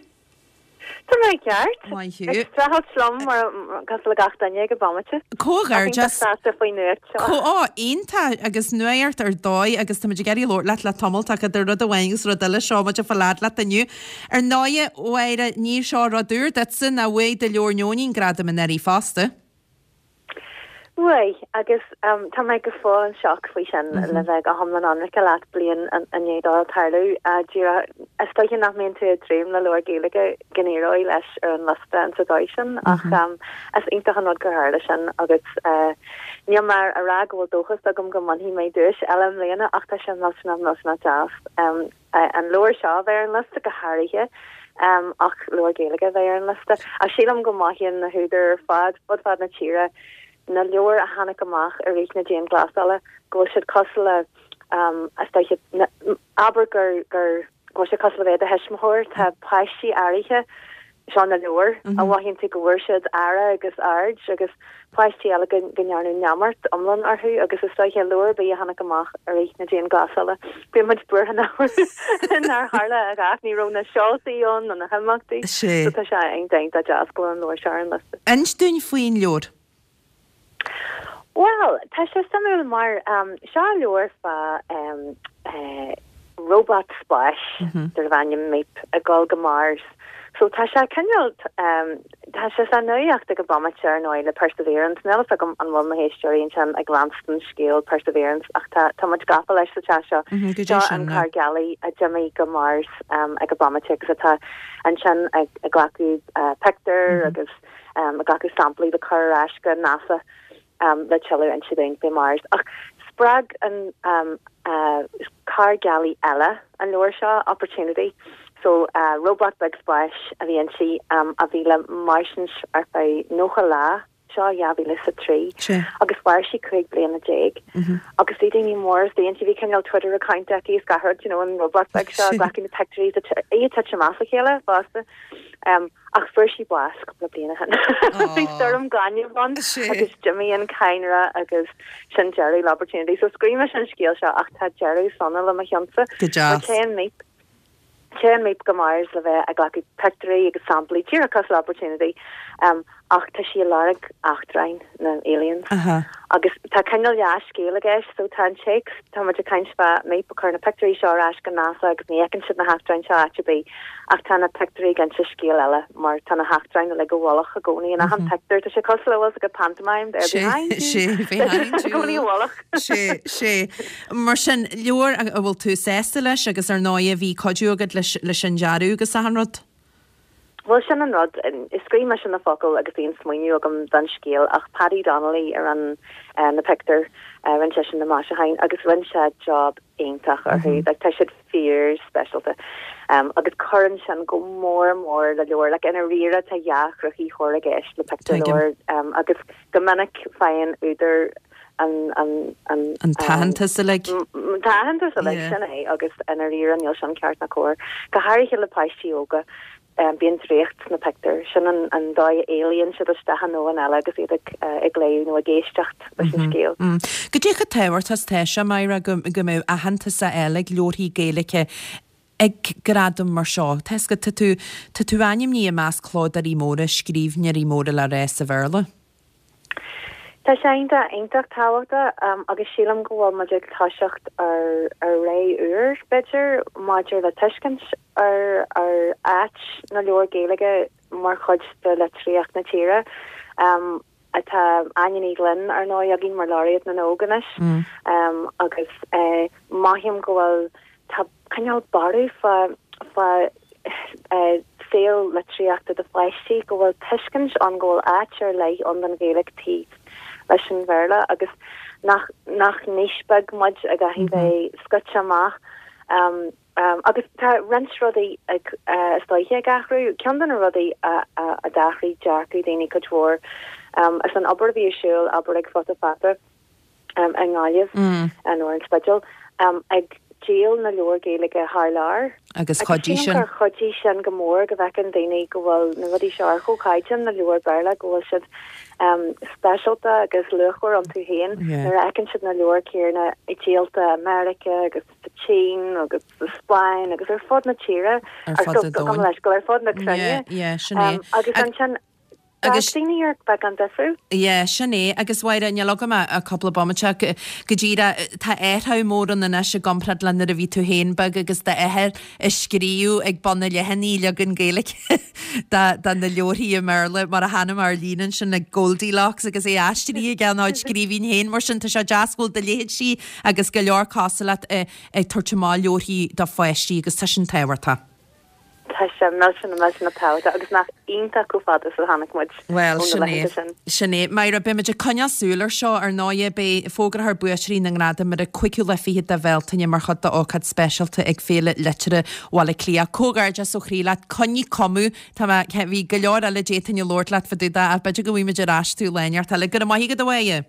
Tá mé ceart. Maith thú. Ag streachailt liom mar cosúil le gach duine ag an bomaite. Comhghairdeas. Sásta faoin nuacht seo. Có, ó, iontach agus nuacht ar dóigh agus táimid ag iarraidh labhairt leat le tamall, tá idir rud amháin agus rud eile, seo muid ag fáil fhad leat inniu. Ar ndóigh, a Mháire, ní seo rud úr duitse ná bhuaigh do leabhar Neoinín gradam anuraidh fosta. Bhuaigh, agus tá mé go fóill in shock faoi sin, le bheith go hiomlán ionraice leat, bliain i ndiaidh dó tarlú. Díreach, is dóiche nach mbíonn tú ag dréim le leabhar Gaeilge go n-éireoidh leis ar an liosta in sa dóigh sin, ach is iontach an rud gur tharla sin agus níl mé a rá go bhfuil dóchas agam go mbainfidh mé duais eile i mbliana ach tá sé millteanach millteanach deas an leabhar seo a bheith ar an liosta go háirithe ach leabhar Gaeilge a bheith ar an liosta. Ach sílim go mothaíonn na húdair ar fad, fud fad na tíre, na leabhair a tháinig amach i rith na dianghlasála, go bhfuil siad cosúil le, is dóiche, abair gur, gur, go bhfuil sé cosúil le bheith i do thuismitheoir, tá páistí áirithe, seo na leabhair, a mhothaíonn tú go bhfuair siad aire agus aird agus páistí eile go, go ndearnadh neamart iomlán orthu agus is dóiche leabhar ar bith a tháinig amach i rith na dianghlasála, bíonn muid buartha nach nár tharla a dhath, ní raibh na seoltaí ann nó na himeachtaí, so tá sé iontach deas go bhfuil an leabhar seo ar an liosta. Inis dúinn faoin leabhar. Bhuel, tá sé suimiúil mar seo leabhar fá robot spáis darbh ainm Míp ag dul go Mars. So tá sé cineál, tá sé sa nuacht ag an bomaite ar ndóigh le Perseverance. Níl a fhios agam an bhfuil na héisteoirí ansin ag leanstan scéal Perseverance ach tá tá muid gafa leis sa teach seo. Seo an carr gealaí a d'imigh go Mars ag an bomaite agus atá ansin ag glacadh pictiúr agus ag glacadh samplaí le cur ar ais go NASA le tuilleadh a inse dúinn faoi Mars. Ach spreag an carr gealaí eile an leabhar seo, Opportunity. So robot beag spáis a bhí inti a bhí le mairstint ar feadh nócha lá, seo dhá mhíle is a trí, agus mhair sí cúig bliana déag. Agus bhí daoine mór istigh inti, bhí cineál Twitter account aici is gach rud, you know, an robot beag seo ag glacadh na pictiúirí, í ag titim as a chéile fosta. Ach fuair sí bás cúpla bliain ó shin. Bhí stoirm gainimh ann agus d'imigh an cadhnra agus sin deireadh le Opportunity. So scríobh mise an scéal seo ach tá deireadh sona le mo chionsa. Go deas. Téann Míp, téann Míp go Mars le bheith ag glacadh pictiúirí agus samplaí, díreach cosúil le Opportunity, Ach tá sí ag lorg eachtráin, na aliens. Agus tá cineál leathscéal i gceist, so tá an téacs, tá muid ag caint fá Míp ag cur na pictiúirí seo ar ais go NASA agus ní fheiceann siad na heachtráin seo áit ar bith, ach tá na pictiúirí ag inse scéal eile mar tá na heachtráin uilig i bhfolach i gcónaí in achan pictiúr. Tá sé cosúil le bhfuil 's agat pantomime, they're behind you. Sé, behind you. I gcónaí i bhfolach. Sé, sé. Mar sin, leabhar a bhfuil tú sásta leis agus ar ndóigh bhí cuidiú agat leis leis an dearadh agus achan rud? Bhuel, sin an rud. Scríobh mise na focail agus bhí an smaoineamh agam don scéal ach Paddy Donnelly a rinne na pictiúir, rinne seisean na maisiúcháin agus rinne sé job iontach orthu. Like, tá siad fíor speisialta. Agus cuireann sin go mór mór le leabhar. Like, i ndáiríre tá dhá chruthaitheoir i gceist le pictiúrleabhar agus go minic faigheann údar an, an, an, An t-aitheantas uilig. An t-aitheantas uilig, sin é, agus i ndáiríre níl sin ceart ná cóir. Go háirithe le páistí óga. Bíonn draíocht sna pictiúir. Sin an dóigh a éalaíonn siad isteach i ndomhan eile agus iad ag léamh nó ag éisteacht leis an scéal. Goidé chomh tábhachtach is atá sé, Máire, go mbeadh aitheantas á fháil ag leabharthaí Gaeilge ag gradaim mar seo? Tá 'fhios agat, tá tú, tá tú ainmnithe i measc clódóirí móra, scríbhneoirí móra le rá sa Bhéarla. Tá sé iontach, iontach tábhachtach agus sílim go bhfuil muid ag toiseacht ar ar ré úr, b'fhéidir, maidir le tuiscint ar ar áit na leabhar Gaeilge mar chuid de litríocht na tíre. Tá Áine Ní Ghlinn, ar ndóigh, againn mar Laureate na nÓg anois agus mothaím go bhfuil Tá cineál borradh fá fá saol litríochta do pháistí, go bhfuil tuiscint ann go bhfuil áit ar leith ann don Ghaeilge taobh leis an Bhéarla agus nach nach niche beag muid a gcaithfidh bheith scoite amach. Agus tá roinnt rudaí ag is dóiche ag athrú. Ceann de na rudaí a a d'athraigh dearcadh daoine cuid mhór is an obair a bhí ar siúl, obair ag Futa Fata, i nGaillimh nó ar an Spidéal, ag díol na leabhar Gaeilge thar lear. Agus chuidigh sin. Gur chuidigh sin go mór go bhfeiceann daoine go bhfuil na rudaí seo ar chomhchaighdeán le leabhair Béarla, go bhfuil siad speisialta agus luachmhar iontu féin nuair a fheiceann siad na leabhair céanna díolta i Meiriceá agus sa tSín agus sa Spáinn agus ar fud na tíre, ar fud an domhain, ar fud na cruinne. Agus ansin Agus. D'fhág daoine ar beagán difriúil. Yeah, sin é. Agus Mháire, níl agam ach cúpla bomaite ach go díreach, tá athrú mór ann anois i gcomparáid le nuair a bhí tú féin beag agus d'athair ag scríobh ag bun an leathanaigh leagan Gaeilge de de na leabharthaí i mBéarla mar a chonaic mé ar líne ansin le Goldilocks agus é aistrithe aige ina chuid scríbhinn féin. Mar sin tá sé deas go bhfuil do leithéidí agus go leor cosúil leat ag tabhairt amach leabharthaí do pháistí agus tá sin tábhachtach. Tá sé millteanach millteanach tábhachtach agus nach iontach chomh fada is a tháinig muid Bhuel, ó na sin é. laethanta sin. Sin é. Máire, beidh muid ag coinneáil súil ar seo, ar ndóighe. Beidh, fógrófar buaiteoirí na ngradam ar an cúigiú lá fichead de Bhealtaine mar chuid d'ócáid speisialta ag Féile Liteartha Bhaile Átha Cliath. Comhghairdeas ó chroí leat. Coinnigh cuma. Tá mé, bhí go leor eile d'fhéadfainn a labhairt leat fá dtaobh de ach b'fhéidir go bhfaighidh muid ar ais tú lá inteacht eile. Go raibh maith agat, a Mháire.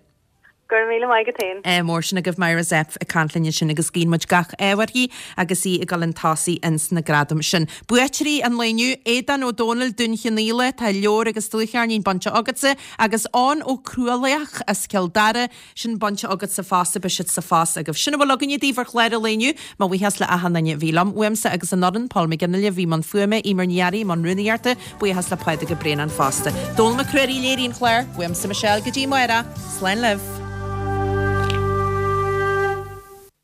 Go raibh míle maith agat féin. Ádh mór sin agaibh Máire Zepf ag caint linn ansin agus guíonn muid gach ádh uirthi agus í ag dul chun tosaigh ins na gradaim sin. Buaiteoirí an lae inniu, Aodán Ó Dónaill, Dún Chionnaola, tá leabhar agus dlúthcheirnín bainte agatsa, agus Eoin Ó Cruadhlaoich as Cill Dara, sin bainte agatsa fosta, beidh siad sa phost agaibh. Sin a bhfuil againne daoibh ar chlár an lae inniu. Mo bhuíochas le achan duine a bhí liom, uaimse agus an fhoireann, Paul McGinley a bhí i mbun fuaime, Eimear Ní Fhearraigh i mbun rúnaíochta, Buíochas le Pádraig Ó Braonáin fosta. Dónall Mac Ruairí a léirigh an clár, uaimse Michelle go dtí amárach. Slán libh.